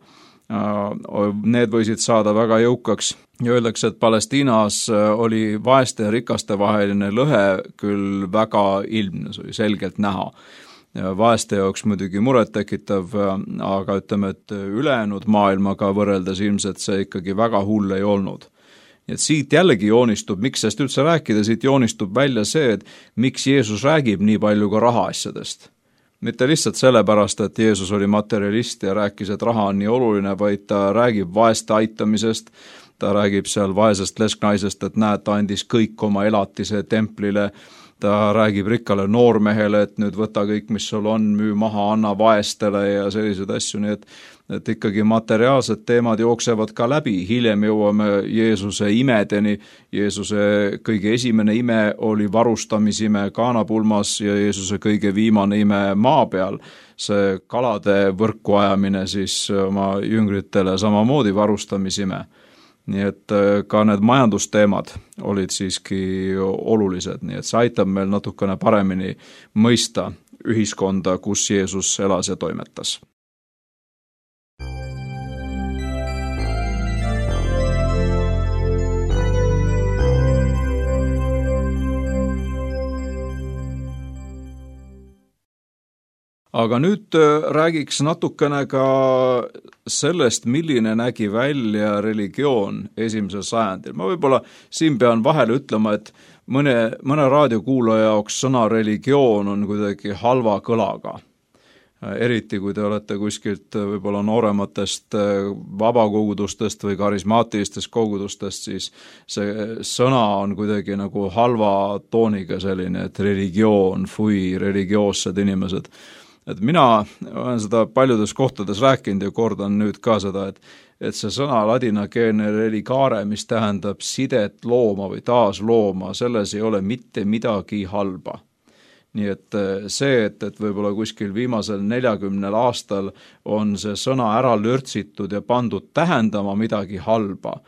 Need võisid saada väga jõukaks. Ja öeldakse, et Palestiinas oli vaeste ja rikaste vaheline lõhe küll väga ilmne, see oli selgelt näha. Vaeste jaoks muidugi muret tekitav, aga ütleme, et ülejäänud maailmaga võrreldes ilmselt see ikkagi väga hull ei olnud. Et siit jällegi joonistub, miks sest üldse rääkida, siit joonistub välja see, et miks Jeesus räägib nii palju ka rahaasjadest. Mitte lihtsalt sellepärast, et Jeesus oli materialist ja rääkis, et raha on nii oluline, vaid ta räägib vaeste aitamisest, ta räägib seal vaesest lesknaisest, et näed, ta andis kõik oma elatise templile, ta räägib rikkale noormehele, et nüüd võta kõik, mis sul on, müü maha, anna vaestele ja sellised asju, nii et ikkagi materiaalsed teemad jooksevad ka läbi. Hiljem jõuame Jeesuse imedeni. Jeesuse kõige esimene ime oli varustamisime Kaanapulmas ja Jeesuse kõige viimane ime maa peal. See kalade võrku ajamine siis oma jüngritele samamoodi varustamisime. Nii et ka need majandusteemad olid siiski olulised, nii et see aitab meil natukene paremini mõista ühiskonda, kus Jeesus elas ja toimetas. Aga nüüd räägiks natukene ka sellest, milline nägi välja religioon 1. sajandil. Ma võib-olla siin pean vahele ütlema, et mõne raadiokuulaja jaoks sõna religioon on kuidagi halva kõlaga. Eriti kui te olete kuskilt võib-olla noorematest vabakogudustest või karismaatilistest kogudustest, siis see sõna on kuidagi nagu halva tooniga selline, et religioon, religioossed inimesed. Et mina olen seda paljudes kohtades rääkinud ja kordan nüüd ka seda, et see sõna ladinakeelne religare, mis tähendab sidet looma või taaslooma, selles ei ole mitte midagi halba. nii et see, et võib-olla kuskil viimasel 40 aastal on see sõna ära lörtsitud ja pandud tähendama midagi halba,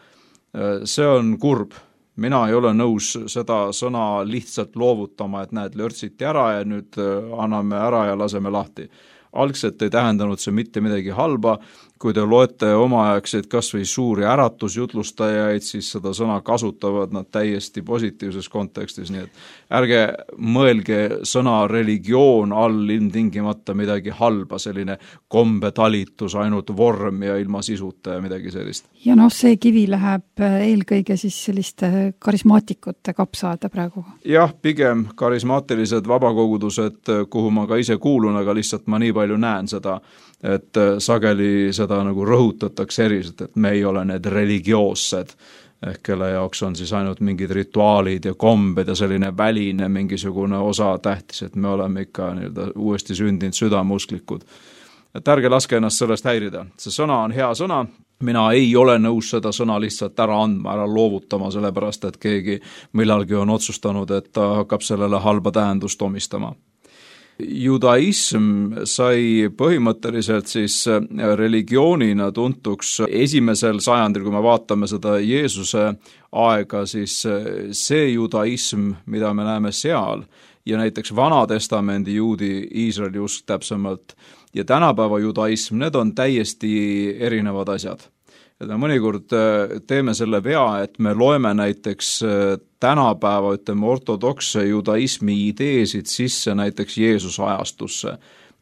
see on kurb. Mina ei ole nõus seda sõna lihtsalt loovutama, et näed, lörtsiti ära ja nüüd anname ära ja laseme lahti. Algselt ei tähendanud see mitte midagi halba, kui te loete omaaegseid kas või suuri äratusjutlustajaid, siis seda sõna kasutavad nad täiesti positiivses kontekstis, nii et ärge mõelge sõna religioon all ilmtingimata midagi halba, selline kombetalitus, ainult vorm ja ilma sisuta ja midagi sellist. Ja see kivi läheb eelkõige siis selliste karismaatikute kapsaada praegu? Jah, pigem karismaatilised vabakogudused, kuhu ma ka ise kuulun, aga lihtsalt ma nii palju näen seda, et sageli seda nagu rõhutatakse eriselt, et me ei ole need religioossed, ehk kelle jaoks on siis ainult mingid rituaalid ja kombed ja selline väline mingisugune osa tähtis, et me oleme ikka uuesti sündinud südamusklikud. Et ärge laske ennast sellest häirida. See sõna on hea sõna, mina ei ole nõus seda sõna lihtsalt ära andma, ära loovutama, sellepärast et keegi millalgi on otsustanud, et ta hakkab sellele halba tähendust omistama. Judaism sai põhimõtteliselt siis religioonina tuntuks esimesel sajandil, kui me vaatame seda Jeesuse aega, siis see judaism, mida me näeme seal, ja näiteks Vana-testamendi juudi, Iisraeli usk täpsemalt, ja tänapäeva judaism, need on täiesti erinevad asjad. Et me mõnikord teeme selle vea, et me loeme näiteks tänapäeva, ortodokse judaismi ideesid sisse näiteks Jeesuse ajastusse,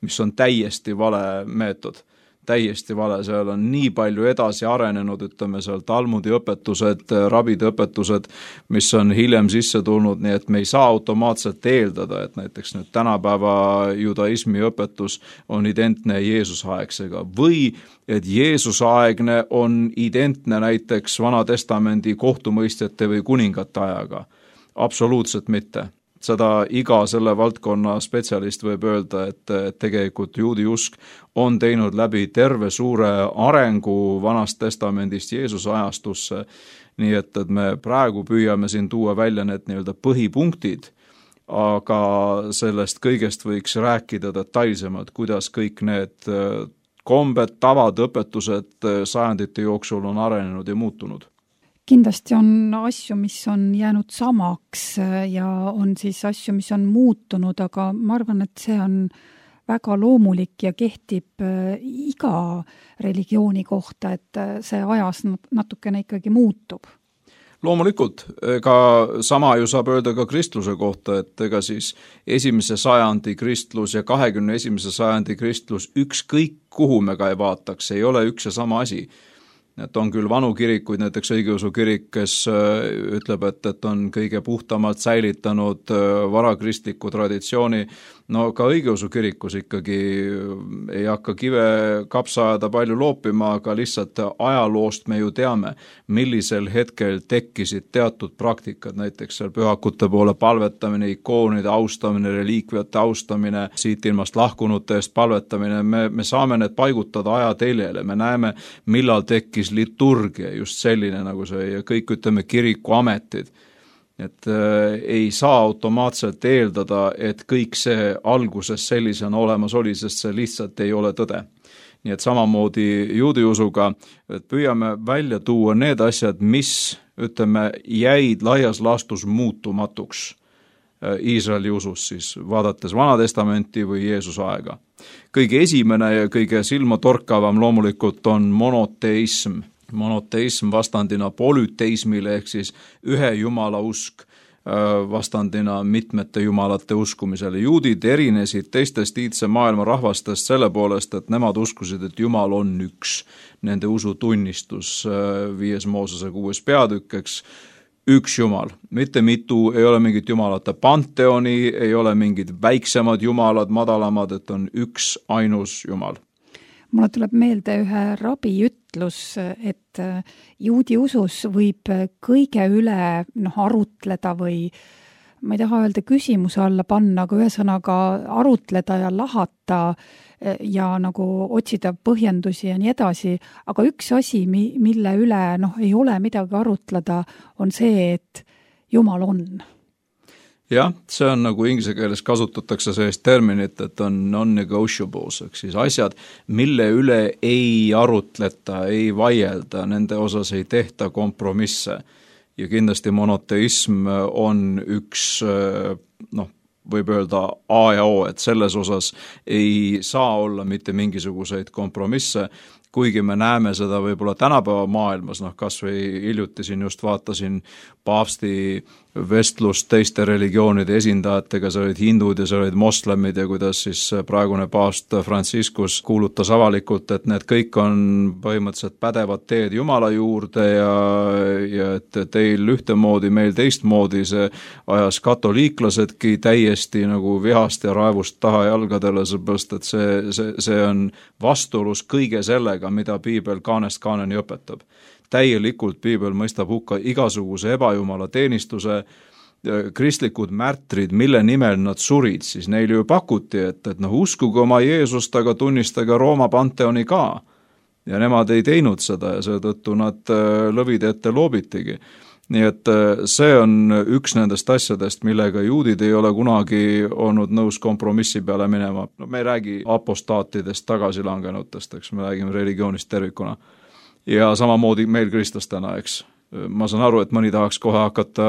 mis on täiesti vale meetod. Täiesti vale, seal on nii palju edasi arenenud, seal Talmudi õpetused, rabide õpetused, mis on hiljem sisse tulnud, nii et me ei saa automaatselt eeldada, et näiteks nüüd tänapäeva judaismi õpetus on identne Jeesusaegsega või et Jeesusaegne on identne näiteks Vana-testamendi kohtumõistjate või kuningate ajaga. Absoluutselt mitte. Seda iga selle valdkonna spetsialist võib öelda, et tegelikult juudi usk on teinud läbi terve suure arengu Vanast testamendist Jeesuse ajastusse, nii et me praegu püüame siin tuua välja need põhipunktid, aga sellest kõigest võiks rääkida detailsemalt, kuidas kõik need kombed, tavad, õpetused sajandite jooksul on arenenud ja muutunud. Kindlasti on asju, mis on jäänud samaks ja on siis asju, mis on muutunud, aga ma arvan, et see on väga loomulik ja kehtib iga religiooni kohta, et see ajas natukene ikkagi muutub. Loomulikult, ega sama ju saab öelda ka kristluse kohta, et ega siis 1. sajandi kristlus ja 21. sajandi kristlus ükskõik kuhu me ka ei vaataks, ei ole üks ja sama asi. Et on küll vanu kirikuid, näiteks õigeusu kirik, kes ütleb, et on kõige puhtamalt säilitanud varakristliku traditsiooni. No ka õigeusu kirikus ikkagi ei hakka kive kapsaada palju loopima, aga lihtsalt ajaloost me ju teame, millisel hetkel tekkisid teatud praktikad, näiteks seal pühakute poole palvetamine, ikoonide austamine, reliikviate austamine, siit ilmast lahkunute eest palvetamine, me saame need paigutada ajateljele, me näeme, millal tekkis liturgia, just selline nagu see ja kõik kirikuametid. Et ei saa automaatselt eeldada, et kõik see alguses sellisena olemas oli, sest see lihtsalt ei ole tõde. Nii et samamoodi juudi usuga, et püüame välja tuua need asjad, mis, jäid laias laastus muutumatuks Iisraeli usus, siis vaadates Vana-testamenti või Jeesuse aega. Kõige esimene ja kõige silmatorkavam loomulikult on monoteism. Monoteism vastandina polüteismile ehk siis ühe jumala usk vastandina mitmete jumalate uskumisele. Juudid erinesid teistest iidse maailma rahvastest selle poolest, et nemad uskusid, et Jumal on üks. Nende usutunnistus 5. Moosese 6. peatükkeks, üks Jumal. Mitte mitu, ei ole mingit jumalate panteoni, ei ole mingid väiksemad jumalad, madalamad, et on üks ainus Jumal. Mulle tuleb meelde ühe rabi ütlus, et juudi usus võib kõige üle arutleda või ma ei taha öelda küsimuse alla panna, aga ühesõnaga arutleda ja lahata ja nagu otsida põhjendusi ja nii edasi, aga üks asi, mille üle ei ole midagi arutleda, on see, et Jumal on. jah, see on nagu inglise keeles kasutatakse sellist terminit, et on non-negotiables, ehk siis asjad, mille üle ei arutleta, ei vaielda, nende osas ei tehta kompromisse. Ja kindlasti monoteism on üks, võib öelda A ja O, et selles osas ei saa olla mitte mingisuguseid kompromisse, kuigi me näeme seda võib-olla tänapäeva maailmas, kas või hiljuti siin just vaatasin paavsti vestlust teiste religioonide esindajatega, seal olid hindud ja seal olid moslemid ja kuidas siis praegune paavst Franciscus kuulutas avalikult, et need kõik on põhimõtteliselt pädevad teed Jumala juurde ja et teil ühtemoodi, meil teistmoodi, see ajas katoliiklasedki täiesti nagu vihast ja raevust taha jalgadele, seepärast et see on vastuolus kõige sellega, mida piibel kaanest kaaneni õpetab. Täielikult piibel mõistab hukka igasuguse ebajumala teenistuse, kristlikud märtrid, mille nimel nad surid, siis neile ju pakuti, et uskuge oma Jeesust, aga tunnistage Rooma panteoni ka. Ja nemad ei teinud seda ja seetõttu nad lõvide ette loobitigi. Nii et see on üks nendest asjadest, millega juudid ei ole kunagi olnud nõus kompromissi peale minema. Me ei räägi apostaatidest, tagasilangenutest, eks me räägime religioonist tervikuna. Ja samamoodi meil kristlastena, eks. Ma saan aru, et mõni tahaks kohe hakata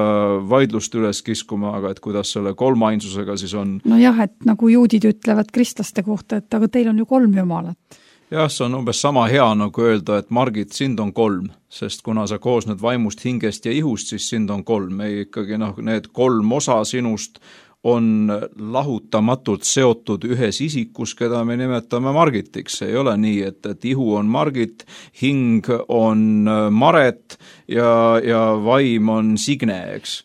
vaidlust üles kiskuma, aga et kuidas selle kolmainsusega siis on. No jah, et nagu juudid ütlevad kristlaste kohta, et aga teil on ju 3 jumalat. Jah, see on umbes sama hea nagu öelda, et Margit, sind on 3, sest kuna sa koosned vaimust, hingest ja ihust, siis sind on 3. Ei ikkagi need 3 osa sinust on lahutamatult seotud ühes isikus, keda me nimetame Margitiks. Ei ole nii, et ihu on Margit, hing on Maret ja vaim on Signe, eks.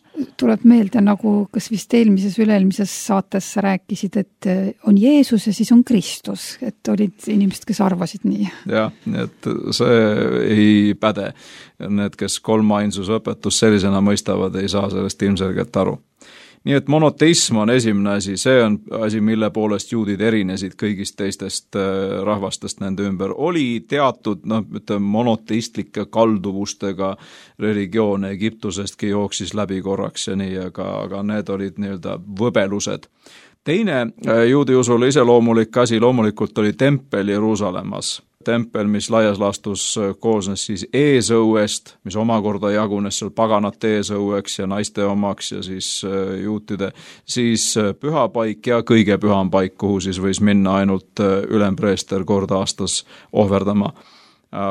Tuleb meelde, nagu kas vist üle-eelmises saates sa rääkisid, et on Jeesus ja siis on Kristus, et olid inimesed, kes arvasid nii. Jah, et see ei päde. Need, kes kolmainsuse õpetus sellisena mõistavad, ei saa sellest ilmselgelt aru. Nii et monoteism on esimene asi, see on asi, mille poolest juudid erinesid kõigist teistest rahvastest nende ümber. Oli teatud monoteistlike kalduvustega religioone, Egiptusestki jooksis läbi korraks ja nii, aga need olid nii-öelda võbelused. Teine juudi usule iseloomulik asi loomulikult oli tempel Jeruusalemmas. Tempel, mis laias laastus koosnes siis eesõuest, mis omakorda jagunes seal paganate eesõueks ja naiste omaks ja siis juutide, siis pühapaik ja kõige püham paik, kuhu siis võis minna ainult ülempreester kord aastas ohverdama.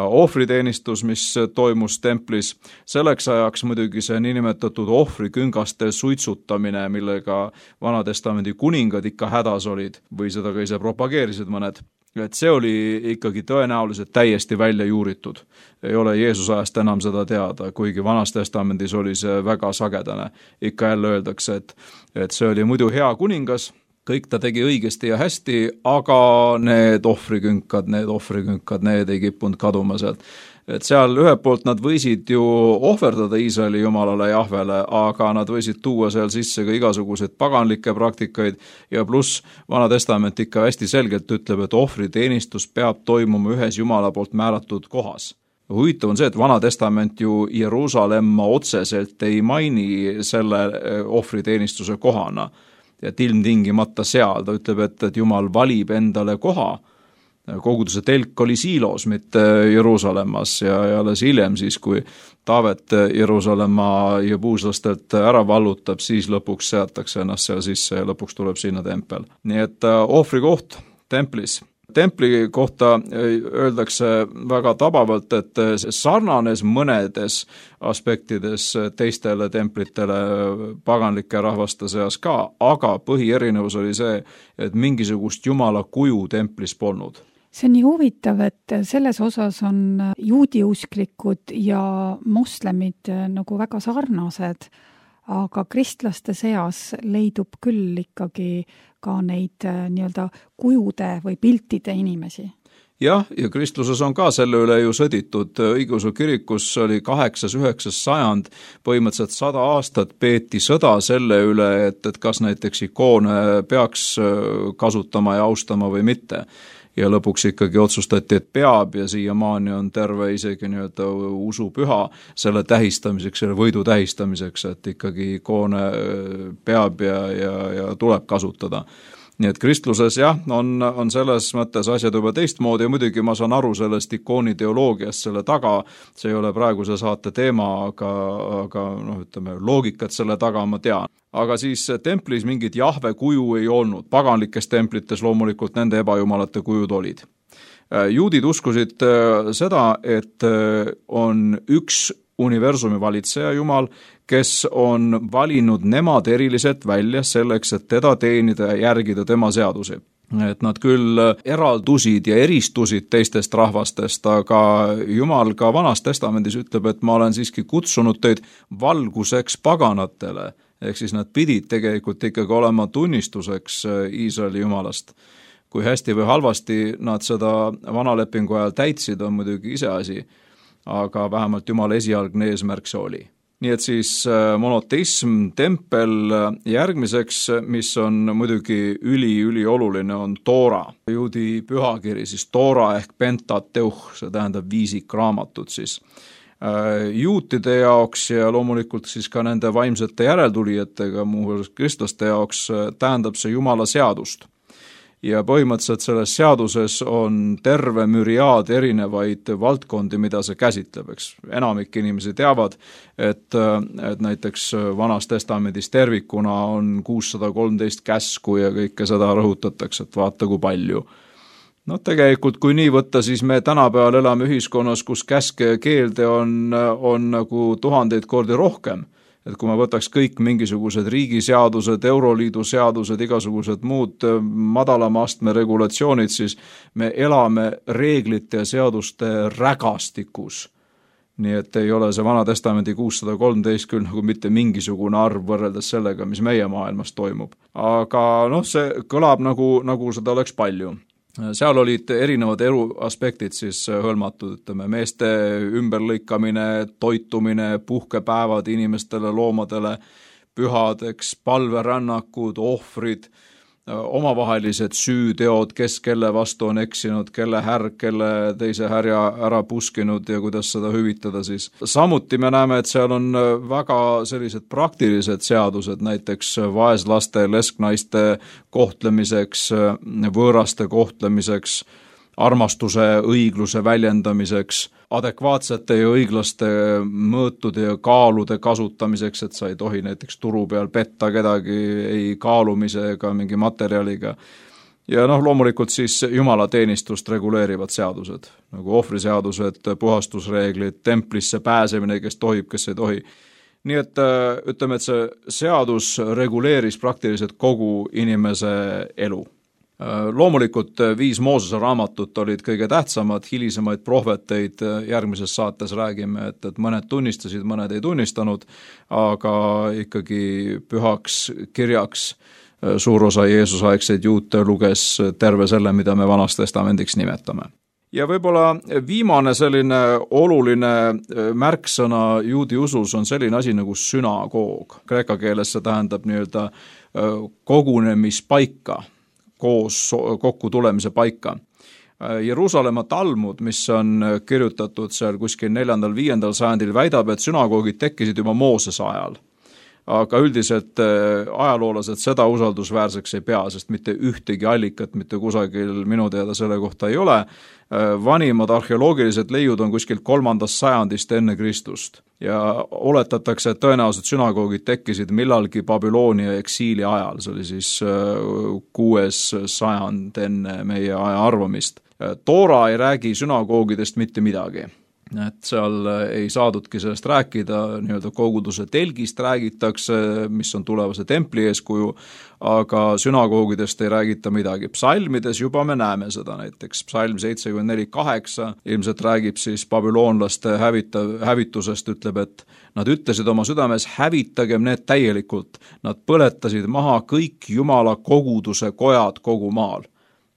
Ohvriteenistus, mis toimus templis, selleks ajaks muidugi see niinimetatud ohvriküngaste suitsutamine, millega Vanatestamendi kuningad ikka hädas olid või seda ka ise propageerisid mõned. Et see oli ikkagi tõenäoliselt täiesti välja juuritud. Ei ole Jeesus ajast enam seda teada, kuigi Vanas testamendis oli see väga sagedane. Ikka jälle öeldakse, et see oli muidu hea kuningas, kõik ta tegi õigesti ja hästi, aga need ohvrikünkad, need ei kippunud kaduma sealt. Et seal ühelt poolt nad võisid ju ohverdada Iisraeli jumalale Jahvele, aga nad võisid tuua seal sisse ka igasuguseid paganlikke praktikaid ja pluss Vana testament ikka hästi selgelt ütleb, et ohvriteenistus peab toimuma ühes Jumala poolt määratud kohas. Huvitav on see, et Vana testament ju Jeruusalemma otseselt ei maini selle ohvriteenistuse kohana, et ilmtingimata seal, ta ütleb, et Jumal valib endale koha. Koguduse telk oli Siilos, mitte Jeruusalemmas ja alles hiljem siis, kui Taavet Jeruusalemma ja puuslastelt ära vallutab, siis lõpuks seatakse ennast seal sisse ja lõpuks tuleb sinna tempel. Nii et ohvrikoht templis. Templi kohta öeldakse väga tabavalt, et sarnanes mõnedes aspektides teistele templitele paganlike rahvaste seas ka, aga põhierinevus oli see, et mingisugust Jumala kuju templis polnud. See on nii huvitav, et selles osas on juudiusklikud ja moslemid nagu väga sarnased, aga kristlaste seas leidub küll ikkagi ka neid nii-öelda kujude või piltide inimesi. jah, ja kristluses on ka selle üle ju sõditud. Õigeusu kirikus oli 8.–9. sajand, põhimõtteliselt 100 aastat peeti sõda selle üle, et kas näiteks ikoone peaks kasutama ja austama või mitte. Ja lõpuks ikkagi otsustati, et peab ja siiamaani on terve isegi nii-öelda usupüha selle tähistamiseks, selle võidu tähistamiseks, et ikkagi ikoone peab ja tuleb kasutada. Nii et kristluses jah, on selles mõttes asjad juba teistmoodi ja muidugi ma saan aru sellest ikoonideoloogiast selle taga, see ei ole praeguse saate teema, aga ütleme, loogikat selle taga ma tean. Aga siis templis mingit Jahve kuju ei olnud, paganlikes templites loomulikult nende ebajumalate kujud olid. Juudid uskusid seda, et on üks universumi valitseja Jumal, kes on valinud nemad eriliselt välja selleks, et teda teenida ja järgida tema seadusi. Et nad küll eraldusid ja eristusid teistest rahvastest, aga Jumal ka Vanas Testamendis ütleb, et ma olen siiski kutsunud teid valguseks paganatele, ehk siis nad pidid tegelikult ikkagi olema tunnistuseks Iisraeli Jumalast. Kui hästi või halvasti nad seda vanalepingu ajal täitsid, on muidugi iseasi, aga vähemalt Jumala esialgne eesmärk see oli. Nii et siis monoteism, tempel järgmiseks, mis on muidugi ülioluline, on Toora. Juudi pühakiri, siis Toora ehk Pentateuch, see tähendab viisikraamatut siis. Juutide jaoks ja loomulikult siis ka nende vaimsete järeltulijatega, muuhulgas kristlaste jaoks, tähendab see Jumala seadust. Ja põhimõtteliselt selles seaduses on terve müriaad erinevaid valdkondi, mida see käsitleb, eks. Enamik inimesi teavad, et näiteks Vanas Testamendis tervikuna on 613 käsku ja kõike seda rõhutatakse, et vaata kui palju. No tegelikult, kui nii võtta, siis me tänapäeval elame ühiskonnas, kus käske ja keelde on nagu 1000 kordi rohkem. Et kui ma võtaks kõik mingisugused riigiseadused, Euroliidu seadused, igasugused muud madalama astme regulatsioonid, siis me elame reeglite ja seaduste rägastikus. Nii et ei ole see Vana Testamendi 613 küll nagu mitte mingisugune arv võrreldes sellega, mis meie maailmas toimub. Aga see kõlab nagu seda oleks palju. Seal olid erinevad elu aspektid siis hõlmatud, ütleme, meeste ümberlõikamine, toitumine, puhkepäevad inimestele, loomadele, pühadeks, palverännakud, ohvrid, omavahelised süüteod, kes kelle vastu on eksinud, kelle härg, kelle teise härja ära puskinud ja kuidas seda hüvitada siis. Samuti me näeme, et seal on väga sellised praktilised seadused, näiteks vaeslaste, lesknaiste kohtlemiseks, võõraste kohtlemiseks, armastuse, õigluse väljendamiseks, adekvaatsete ja õiglaste mõõtude ja kaalude kasutamiseks, et sa ei tohi näiteks turu peal petta kedagi ei kaalumise ega mingi materjaliga. Ja loomulikult siis jumalateenistust reguleerivad seadused, nagu ohvriseadused, puhastusreeglid, templisse pääsemine, kes tohib, kes ei tohi. Nii et ütleme, et see seadus reguleeris praktiliselt kogu inimese elu. Loomulikult 5 Moosese raamatut olid kõige tähtsamad, hilisemaid prohveteid järgmises saates räägime, et mõned tunnistasid, mõned ei tunnistanud, aga ikkagi pühaks kirjaks suur osa Jeesusaegseid juute luges terve selle, mida me Vanas Testamendiks nimetame. Ja võib-olla viimane selline oluline märksõna juudi usus on selline asi nagu sünagoog. Kreeka keeles see tähendab nii-öelda kogunemispaika, koos kokku tulemise paika. Jeruusalemma Talmud, mis on kirjutatud seal kuskil 4.–5. sajandil, väidab, et sünagoogid tekkisid juba Moosese ajal. Aga üldiselt ajaloolased seda usaldusväärseks ei pea, sest mitte ühtegi allikat mitte kusagil minu teada selle kohta ei ole. Vanimad arheoloogilised leiud on kuskil 3. sajandist enne Kristust ja oletatakse, et tõenäoliselt sünagoogid tekkisid millalgi Babyloonia eksiili ajal, see oli siis 6. sajand enne meie aja arvamist. Toora ei räägi sünagoogidest mitte midagi. Et seal ei saadudki sellest rääkida, nii-öelda koguduse telgist räägitakse, mis on tulevase templi eeskuju, aga sünagoogidest ei räägita midagi. Psalmides juba me näeme seda, näiteks psalm 74.8 ilmselt räägib siis babüloonlaste hävitusest, ütleb, et nad ütlesid oma südames, hävitagem need täielikult. Nad põletasid maha kõik Jumala koguduse kojad kogu maal.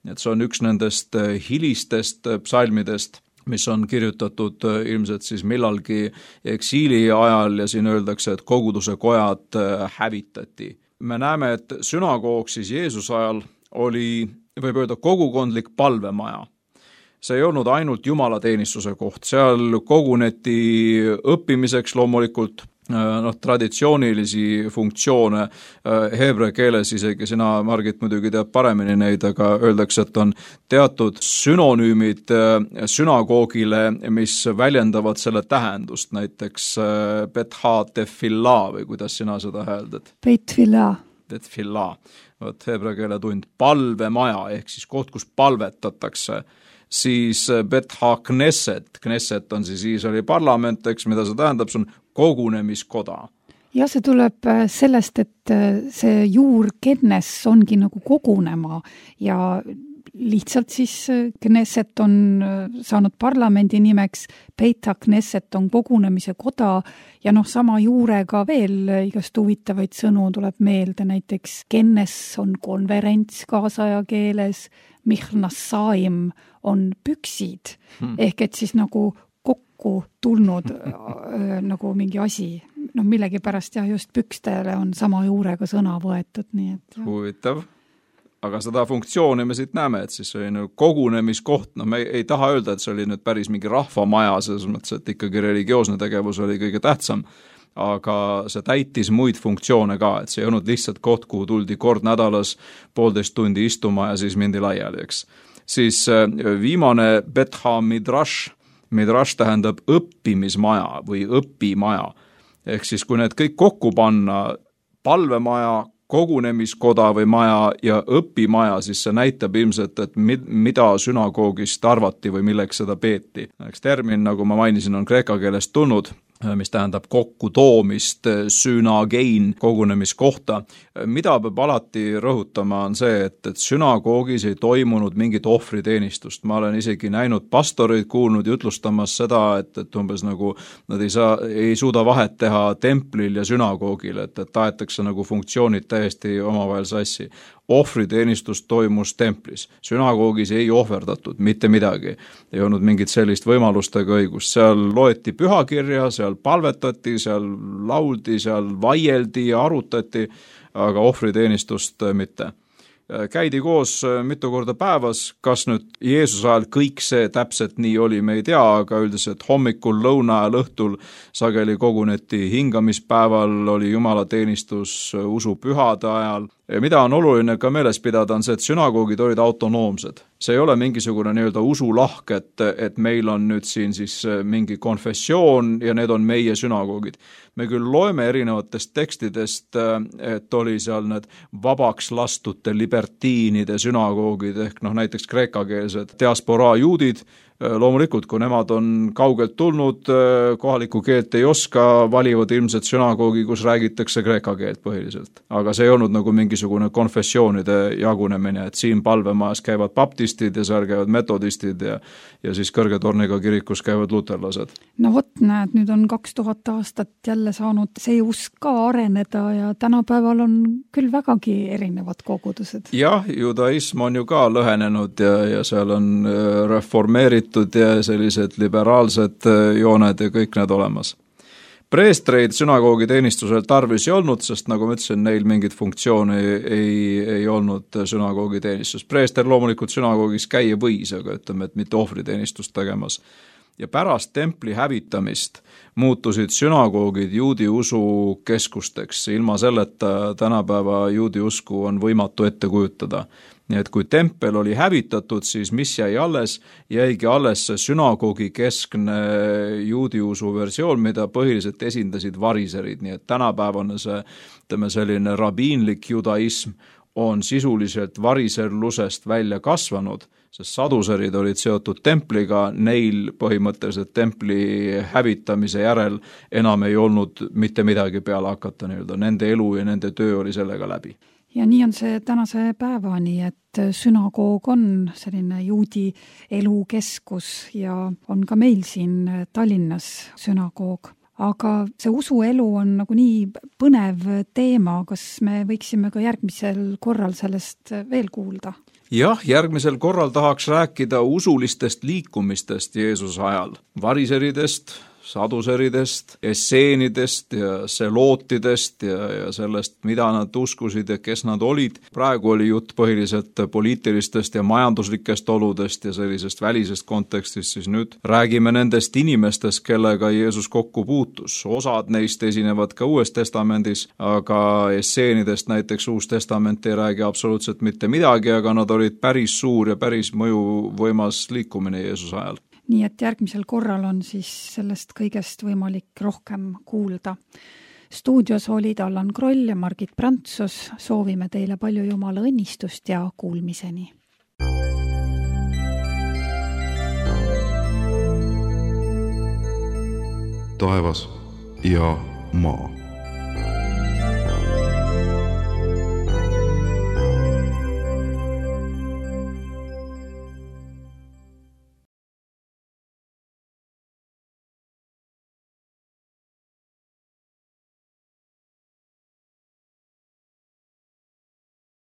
et see on üks nendest hilistest psalmidest, mis on kirjutatud ilmselt siis millalgi eksiili ajal ja siin öeldakse, et koguduse kojad hävitati. Me näeme, et sünagoog siis Jeesuse ajal oli, võib öelda, kogukondlik palvemaja. See ei olnud ainult jumalateenistuse koht, seal koguneti õppimiseks loomulikult traditsioonilisi funktsioone heebrea keeles, isegi sina, Margit, muidugi tead paremini neid, aga öeldakse, et on teatud synonüümid sünagoogile, mis väljendavad selle tähendust, näiteks betha tefilla või kuidas sina seda hääldad? Betfilla. Betfilla, heebrea keele tund, palvemaja ehk siis koht, kus palvetatakse. Siis betha knesset, knesset on siis Iisraeli parlament, eks, mida see tähendab, see on kogunemiskoda. Ja see tuleb sellest, et see juur kennes ongi nagu kogunema ja lihtsalt siis knesset on saanud parlamendi nimeks, Beita knesset on kogunemise koda ja sama juurega veel igast huvitavaid sõnu tuleb meelde, näiteks kennes on konverents kaasaja keeles, Michnassaim on püksid, ehk et siis nagu kokku tulnud nagu mingi asi. Millegi pärast just pükstele on sama juurega sõna võetud. Nii et, huvitav. Aga seda funktsiooni me siit näeme, et siis see oli kogunemiskoht. Me ei taha öelda, et see oli nüüd päris mingi rahvamaja, selles mõttes, et ikkagi religioosne tegevus oli kõige tähtsam. Aga see täitis muid funktsioone ka, et see ei olnud lihtsalt koht, kuhu tuldi kord nädalas 1,5 tundi istuma ja siis mindi laiali, eks. Siis viimane betha midrash, midrash tähendab õppimismaja või õpimaja. Ehk siis kui need kõik kokku panna, palvemaja, kogunemiskoda või maja ja õpimaja, siis see näitab ilmselt, et mida sünagoogist arvati või milleks seda peeti. Termin, nagu ma mainisin, on kreeka keelest tulnud, mis tähendab kokkutoomist, sünagein, kogunemiskohta. Mida peab alati rõhutama on see, et sünagoogis ei toimunud mingit ohvriteenistust. Ma olen isegi näinud pastoreid kuulnud jutlustamas seda, et umbes nagu nad ei suuda vahet teha templil ja sünagoogil, et taetakse nagu funktsioonid täiesti omavahel sassi. Ohvriteenistus toimus templis. Sünagoogis ei ohverdatud mitte midagi. Ei olnud mingit sellist võimalustega õigust. Seal loeti pühakirja, seal palvetati, seal lauldi, seal vaieldi ja arutati, aga ohvriteenistust mitte. Käidi koos mitu korda päevas, kas nüüd Jeesuse ajal kõik see täpselt nii oli, me ei tea, aga üldiselt hommikul, lõuna ja õhtul sageli koguneti hingamispäeval, oli jumalateenistus usupühade ajal. Ja mida on oluline ka meeles pidada, on see, et sünagoogid olid autonoomsed. See ei ole mingisugune nii-öelda usulahk, et meil on nüüd siin siis mingi konfessioon ja need on meie sünagoogid. Me küll loeme erinevatest tekstidest, et oli seal need vabaks lastute libertiinide sünagoogid ehk näiteks kreekakeelsed diasporaa juudid. Loomulikult, kui nemad on kaugelt tulnud, kohalikku keelt ei oska, valivad ilmselt sünagoogi, kus räägitakse kreeka keelt põhiliselt. Aga see ei olnud nagu mingisugune konfessioonide jagunemine, et siin palvemajas käivad baptistid ja seal käivad metodistid ja siis kõrge torniga kirikus käivad luterlased. No vot, näed, nüüd on 2000 aastat jälle saanud see usk ka areneda ja tänapäeval on küll vägagi erinevad kogudused. Jah, judaism on ju ka lõhenenud ja seal on reformeeritud ja sellised liberaalsed jooned ja kõik need olemas. Preestreid sünagoogi teenistusel tarvis ei olnud, sest nagu ma ütlesin, neil mingit funktsiooni ei olnud sünagoogi teenistus. Preester loomulikult sünagoogis käia võis, aga ütleme, et mitte ohvriteenistust tegemas. Ja pärast templi hävitamist muutusid sünagoogid juudi usu keskusteks. Ilma selleta tänapäeva juudi usku on võimatu ette kujutada. Nii et kui tempel oli hävitatud, siis mis jäi alles? Jäigi alles sünagoogi keskne juudi usu versioon, mida põhiliselt esindasid variserid. Nii et tänapäevane selline rabiinlik judaism on sisuliselt variserlusest välja kasvanud, sest saduserid olid seotud templiga, neil põhimõtteliselt templi hävitamise järel enam ei olnud mitte midagi peale hakata, nende elu ja nende töö oli sellega läbi. Ja nii on see tänase päevani, et sünagoog on selline juudi elukeskus ja on ka meil siin Tallinnas sünagoog. Aga see usuelu on nagu nii põnev teema, kas me võiksime ka järgmisel korral sellest veel kuulda? jah, järgmisel korral tahaks rääkida usulistest liikumistest Jeesuse ajal, variseridest, saduseridest, esseenidest ja selootidest ja sellest, mida nad uskusid ja kes nad olid. Praegu oli jutt põhiliselt poliitilistest ja majanduslikest oludest ja sellisest välisest kontekstist, siis nüüd räägime nendest inimestest, kellega Jeesus kokku puutus. Osad neist esinevad ka Uues Testamendis, aga esseenidest näiteks Uus Testament ei räägi absoluutselt mitte midagi, aga nad olid päris suur ja päris mõjuvõimas liikumine Jeesuse ajal. Nii et järgmisel korral on siis sellest kõigest võimalik rohkem kuulda. Stuudios olid Allan Kroll ja Margit Prantsus. Soovime teile palju Jumala õnnistust ja kuulmiseni. Taevas ja maa.